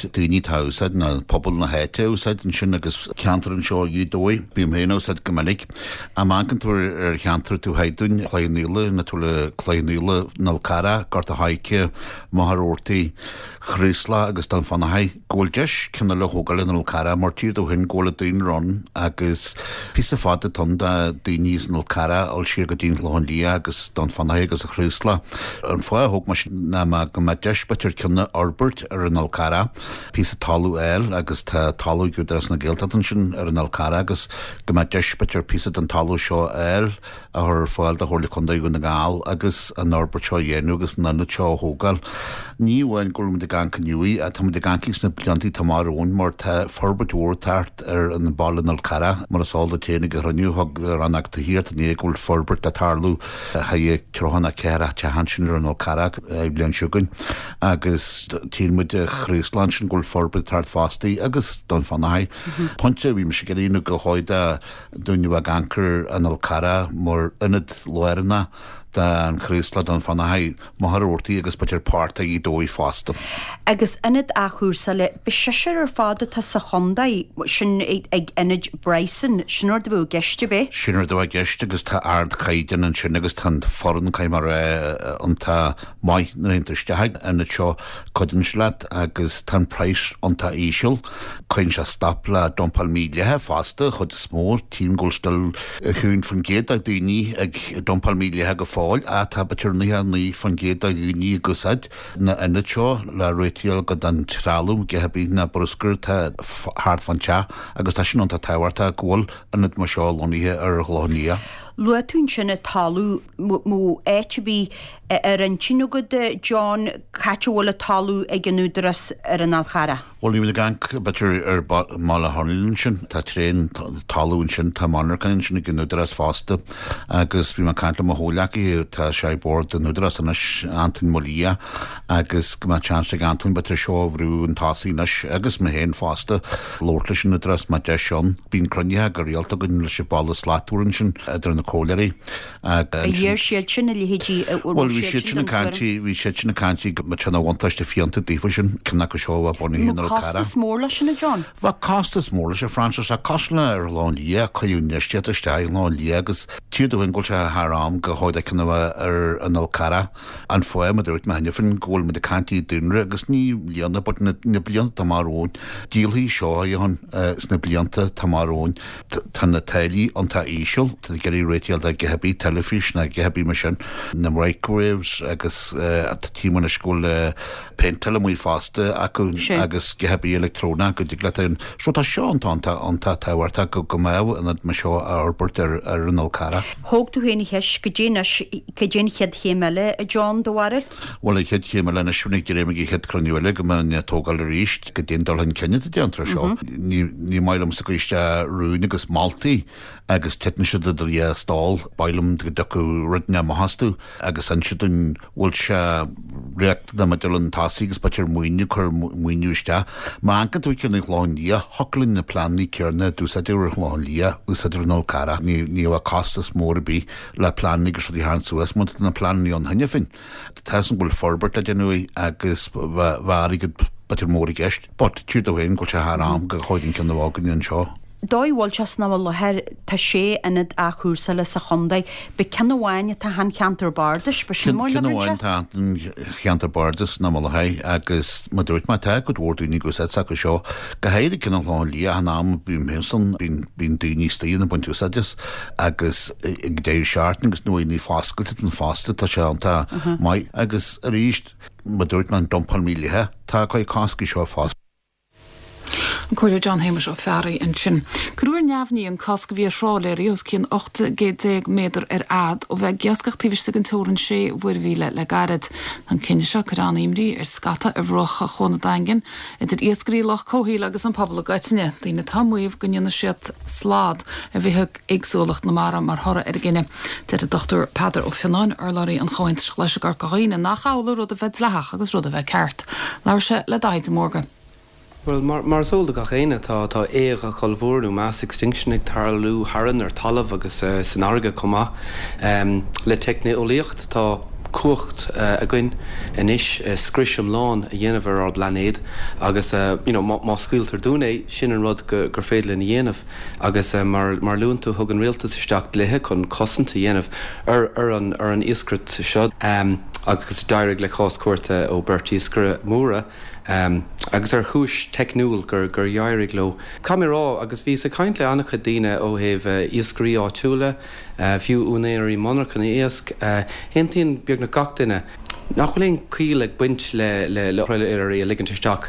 daoine atá ag úsáid nó pobal na háite a úsáid ansin agus ceantar anseo i Gaoth Dobhair, bím féin á úsáid go minic. Amharcann tú ar cheantar taobh thoir dúinn, Cloich Cheann Fhaola, nó tú le Cloich Cheann Fhaola, an Fhál Carrach, Gort a' Choirce, Machaire Rabhartaigh, Chraoslach agus Dún Fionnachaidh, go bhfuil deis ceann eile a thógáil ar an Fhál Carrach mar títear domh féin go bhfuil an daonra ann agus píosa fada atá ann do daoine as an Fhál Carrach a dhul siar go dtí an Chlochán Liath agus Dún Fionnachaidh agus an Chraoslach. An fáth a thóg mé sin ná mar go mbeadh deis b'fhéidir ceann a fhorbairt ar an Fhál Carrach, píosa talamh a fháil agus tá talamh ag Údarás na Gaeltachta ansin ar an Fhál Carrach agus go mbeadh deis b'fhéidir píosa den talamh seo a fháil a chur ar fáil do Chomhairle Contae Dhún na nGall agus an fhorbairt seo a dhéanamh agus an ionad seo a thógáil. Ní amháin go bhfuil muid ag amharc inniu, ach tá muid ag amharc sna blianta atá amach romhainn mar tá forbairt mhór ag teacht ar an bhaile an Fhál Carrach. Mar is eol duit féin ag an chruinniú thug Rannóg Tithíochta inné go bhfuil forbairt le tarlú le haghaidh 34 teach ansin ar an Fhál Carrach an bhliain seo chugainn agus tchíonn muid an Chraoslach ansin go bhfuil forbairt ag teacht fosta agus Dún Fionnachaidh. Pointe a bhí mise ag iarraidh nó gur chóir do daoine a bheith ag amharc ar an Fhál Carrach mar ionad lárnach don Chraoslach, Dún Fionnachaidh, Machaire Rabhartaigh agus b'fhéidir páirt de Ghaoth Dobhair fosta. Agus ionad athchúrsála, ba seisear ar fad atá sa chontae, sin ag ionad Bryson, sin rud a bheadh i gceist ab é? Sin rud a bheadh i gceist agus tá ardchaighdeán ansin agus tá an foireann, caithfidh mé a rá, iontach maith nuair a théann tú isteach ag an ionad seo, cuidíonn sé leat agus tá an praghas iontach íseal. Cuireann sé stop le dumpáil mídhleathach fosta, chuid is mó. Tchím go bhfuil still 1% de dhaoine ag dumpáil mídhleathach go fóill ach tá b'fhéidir 99% de dhaoine ag úsáid na ionaid seo le réiteach go den trealamh, a dhath ar bith ná bruscar atá thart fán teach agus tá sin iontach tábhachtach go bhfuil ionad mar seo lonnaithe ar an Chlochán Liath. Luaigh tú ansin an talamh, mó áit a bhí ar intinn agat, John, c'áit a bhfuil an talamh ag an Údarás ar an Fhál Charrach? Bhuel, níl muid ag amharc, b'fhéidir, ar Bhaile Chonaill ansin. Tá tréan talamh ansin, tá monarchain ansin ag an Údarás fosta. Agus bhí mé ag caint le mo chomhghleacaí, tá sé ag bord an Údarás anois, Antoin Maol Liath, agus go mbeadh chance ag Antoin, b'fhéidir, seo a bhrú chun tosaigh anois, agus mé féin fosta, labhairt leis an Údarás má deis ann. Bíonn cruinnithe go rialta againn leis an Bhaile Slachtmhar ansin, idir na comhairleoirí. Ar iarr siad sin a leithéidí a Bhuel, bhí siad sin ag caint, bhí siad sin ag caint go mbeadh sé ina bhuntáiste fiúntach daofa sin, ceann acu seo a bheith bunaithe in Fhál Carrach. Costas mór leis sin, a John? Bheadh costas mór leis, a Frances, ach cosúil le ar Chlochán Liath, cuireadh infheistíocht isteach i gClochán Liath agus títear domh féin go bhfuil sé thar am go chóir ceann a bheith ar an Fhál Carrach. An fáth, mar a dúirt mé cheana féin, go bhfuil muid ag caint i daonra agus ní i mbliana but na blianta atá amach romhainn, díolfaidh seo a ann sna blianta atá amach romhainn. Tá na táillí iontach íseal, tá tú ag iarraidh réiteach le a dhath ar bith, teilifís ná a dhath ar bith mar sin, na microwaves agus tchím anois go bhfuil péinteáil amuigh fosta acu agus a dhath ar bith leictreonach go dtig leat an So tá seo iontach iontach iontach tábhachtach go go mbeadh ionad mar seo á fhorbairt ar ar an Fhál Carrach. Thóg tú féin an cheist, goidé anois, cad é an chéad chéim eile, a John, do bharúil? Bhuel, an chéad chéim eile anois, ag dréim ag an chéad chruinniú eile go mbeidh an tógáil arís, goidé an dul chun cinn atá déanta ar seo. Ní maith liomsa cur isteach rúin agus moltaí agus titeann siad idir dhá stól. Ba mhaith liom go dtiocfadh rud inteacht amach astu agus inse dúinn bhfuil sé riachtanach maidir le an tosaigh agus b'fhéidir maoiniú, cur maoiniú isteach. Má amharcann tú ar an Chlochán Liath, thiocfadh linn na pleananna céanna a d'úsáideadh ar an Chlochán Liath, úsáid ar an Fhál Carrach. Ní bheadh costas mór ar bith le pleananna agus rudaí a tharraingt suas mar tá na pleananna ann cheana féin. Tá 'fhios agam go bhfuil forbairt le déanamh agus bheadh airgead b'fhéidir mór i gceist but títear domh féin go bhfuil sé thar am go chóir an ceann a bheith againne anseo. Dóigh a bhfuil sé san am i láthair, tá sé ionad athchúrsála sa chontae. Ba ceann amháin atá an cheantar bardais, ba sin mar Ceann amháin atá an cheantar bardais san am i láthair agus mar dúirt mé tá cuid mhór daoine ag úsáid s'acu seo. Go háirithe ceann an Chlocháin Liath an am a bím féin san bíonn daoine istigh ann ag baint úsáid as. agus ag deireadh seachtaine agus nuair ní foscailte don fosta tá sé iontach maith agus arís mar dúirt mé an dumpáil mídhleathach tá ag cur cosc seo fosta. An. Comhairleoir John Shéamuis Ó Fearraigh ansin. Cuireadh ar neamhní an cosc a bhí ar thrálaeirí os cionn 18 gcéad méadar ar fhad ó bheith ag iascach taobh istigh den teorainn sé mhuirmhíle le gairid. Tá an cinneadh seo ag cur an-imní ar scata ar bhruacha Chuan an Daingin, idir iascairí, lucht comhshaoil agus an pobal i gcoitinne, daoine atá ag maíomh go ndéanfaidh siad slad ar bhithéagsúlacht na mara mar thoradh ar an gcinneadh. Deir an Dr Peadar Ó Fionnáin, urlabhraí an Chomhaontais Ghlais i gCorca Dhuibhne, nach amhlaidh rud a bheith dleathach agus rud a bheith ceart. Labhair sé le Daithí de Mórdha. Bhuel, mar is eol do gach éinne, tá tá éag ollmhór nó mass extinction ag tarlú tharainn ar talamh agus san fharraige chomh maith. Le teicneolaíocht, tá cumhacht againn anois scrios iomlán a dhéanamh ar ár bplainéad agus you know má scaoiltear dúinn é, sin an rud gur féidir linn a dhéanamh. Agus mar a luann tú, thug an rialtas isteach dlíthe chun cosaint a dhéanamh ar ar an ar an iascaireacht seo agus d'éirigh le cás cúirte ó beirt iascaire móra, agus ar chúis teicniúil gur d'éirigh leo. Caithfidh mé a rá, agus bhíos ag caint le an-chuid daoine ó thaobh iascairí áitiúla, fiú úinéirí monarchana iasc, aontaíonn beagnach gach duine nach bhfuil aon chiall ag baint le trálaeirí a ligint isteach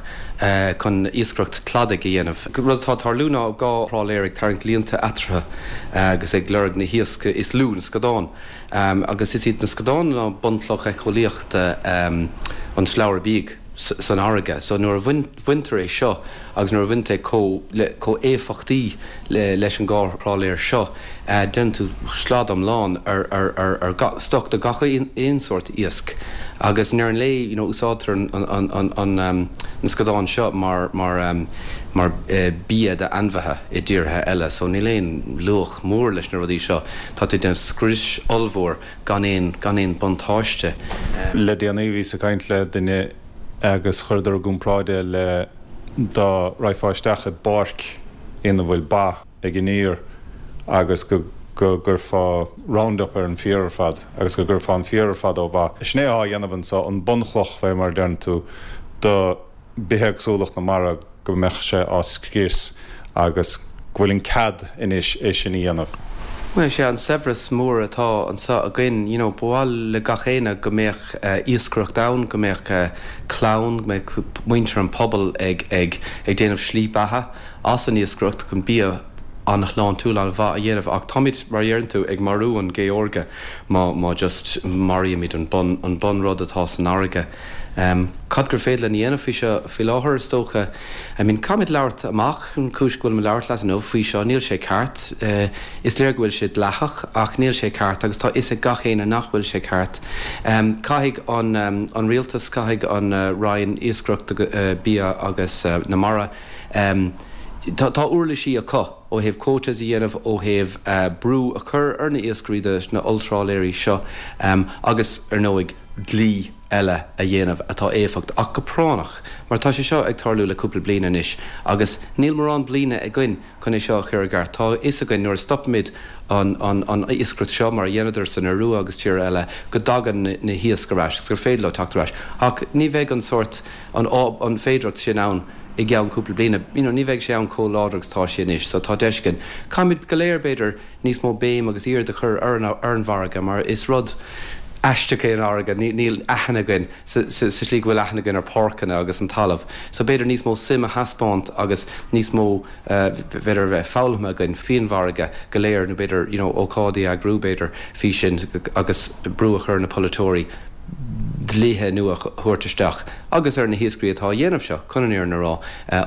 chun iascaireacht cladaigh a dhéanamh. Rud atá ag tarlú ná dhá thrálaer ag tarraingt líonta eatarthu agus ag lorg na hiasc is lú, na scadáin. Agus is iad na scadáin ná bunchloch éiceolaíochta an tslabhra bídh san fharraige. So nuair a bhaintear é seo agus nuair a bhaintear é chomh éifeachtaí leis an dhá thrálaer seo, déanann tú slad iomlán ar gach stoc de gach aon sórt iasc. Agus i ndeireadh an lae, you know, úsáidtear na scadáin seo mar mar bia d'ainmhithe i dtíortha eile. So níl aon luach mór leis na rudaí seo. Tá tú ag déanamh scrios ollmhór gan aon, gan aon buntáiste. Le déanaí bhíos ag caint le duine agus chuireadar i gcomparáid é le dá raghfá isteach i bpáirc ina bhfuil ba ag iníor agus go go gcuirfeá round-up ar an bhféar ar fad agus go gcuirfeá an féar ar fad ó mhaith. Sin é atá á dhéanamh anso, an bunchloch fé mar a deireann tú do bithéagsúlacht na mara go mbeadh sé á scrios agus go bhfuil an cead anois é sin a dhéanamh. Bhuel, sé an saibhreas mór atá anseo againn, you know, ba mhaith le gach éinne go mbeadh iascaireacht ann, go mbeadh clann, go mbeadh muintir an pobail ag ag ag déanamh slí beatha as an iascaireacht chun bia an-shláintiúil, an-mhaith a dhéanamh ach táimid, mar a dheireann tú, ag marú an ghé órga má má just maraímid an bun an bunrud atá san fharraige. Cad gur féidir linn a dhéanamh faoi seo faoi láthair, is dócha? I mean, caithfimid labhairt amach, an chúis go bhfuilim ag labhairt leat inniu faoi seo, níl sé ceart. Is léir go bhfuil sé dleathach ach níl sé ceart agus tá fhios ag gach éinne nach bhfuil sé ceart. Caithfidh an an rialtas, caithfidh an Roinn Iascaireachta, Bia agus na Mara, tá tá uirlisí acu ó thaobh quotas a dhéanamh, ó thaobh brú a chur ar na iascairí de na olltrálaeirí seo agus, ar ndóigh, dlí eile a dhéanamh atá éifeacht ach go práinneach mar tá sé seo ag tarlú le cúpla bliain anois agus níl mórán bliana againn chun é seo a chur i gceart. Tá a fhios againn nuair a stopaimid an an iascaireacht seo mar a dheineadar san Iorua agus tíortha eile go dtagann na hiasc ar ais agus gur féidir leo teacht ar ais ach ní bheidh an sórt an an féidireacht sin ann i gceann cúpla bliana. You know ní bheidh sé ann chomh láidir agus tá sé anois so tá deis againn. Caithfimid go léir b'fhéidir níos mó béim agus aird a chur ar an bhfarraige mar is rud aisteach é an fharraige, níl aithne againn sa slí go bhfuil aithne againn ar páirceanna agus an talamh. So b'fhéidir níos mó suim a thaispeáint agus níos mó b'fhéidir a bheith foghlamtha againn faoin bhfarraige go léir nó b'fhéidir you know ócáidí a eagrú b'fhéidir faoi sin agus brú a chur ar na polaiteoirí dlíthe nua a thabhairt isteach agus ar na hiascairí atá á dhéanamh seo chun an fhírinne a rá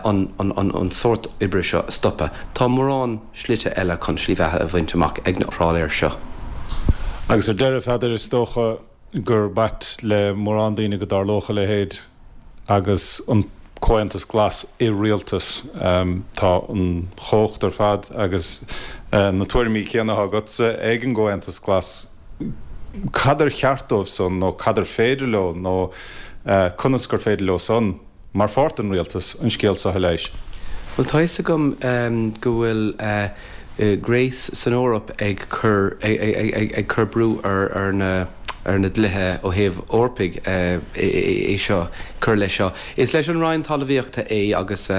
an sórt oibre seo a stopadh. Tá mórán. slite eile chun slí bheatha a bhaint amach ag na trálaeir seo. Agus ar deireadh, a Pheadair, is dócha gur ait le mórán daoine go dtarlódh a leithéid agus an Comhaontas Glas i rialtas. Tá an chumhacht ar fad agus na tuairimí céanna atá agatsa ag an gComhaontas Glas. Cad ar cheart dóibh san nó cad ar féidir leo nó conas gur féidir leo san? mar pháirt den rialtas, an scéal seo a leigheas. Bhuel, tá fhios agam go bhfuil Grace san Eoraip ag cur ag cur brú ar ar na. ar na dlíthe ó thaobh Eorpaigh é seo, cur leis seo. Is leis an Roinn Talmhaíochta é agus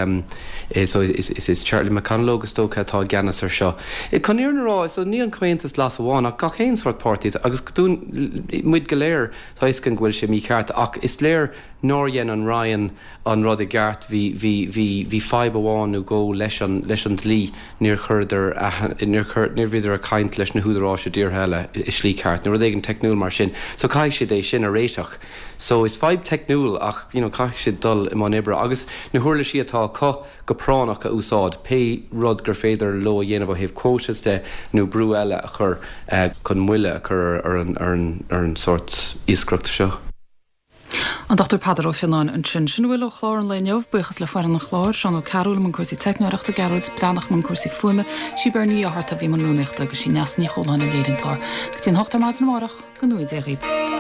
so is Charlie McConalogue is dócha atá i gceannas ar seo. Chun an fhírinne a rá, so ní an Comhaontas Glas amháin ach gach aon sórt páirtí agus dúinn, muid go léir, tá a fhios againn go bhfuil sé mícheart ach is léir nár dhein an Roinn an rud i gceart, bhí, bhí, bhí, bhí fadhb amháin nó dhó leis an, leis an dlí, níor chuireadar, níor chuir, níor bhíodar ag caint leis na húdaráis i dtíortha eile i slí ceart nó rud éigin teicniúil mar sin. So caithfidh siad é sin a réiteach. So is fadhb teicniúil ach, you know, caithfidh siad dul i mbun oibre agus na huirlisí atá acu go práinneach a úsáid, pé rud gur féidir leo a dhéanamh ó thaobh quotas de nó brú eile a chur chun moille a chur ar an, ar an, ar an sórt iascaireachta seo. An Dr Peadar Ó Fionnáin ansin. Sin a bhfuil ó chlár an lae inniu. Buíochas le foireann an chláir, Seán Ó Cearúil i mbun cúrsaí teicneoireachta, Gearóid Breathnach i mbun cúrsaí fuaime, sí Beirní Ní Fhátharta a bhí i mbun rúnaíochta agus sí Neasa Ní Chualáin a léirigh an clár. Go dtí an hocht ar maidin amárach, go ngnóthaí Dia dhaoibh.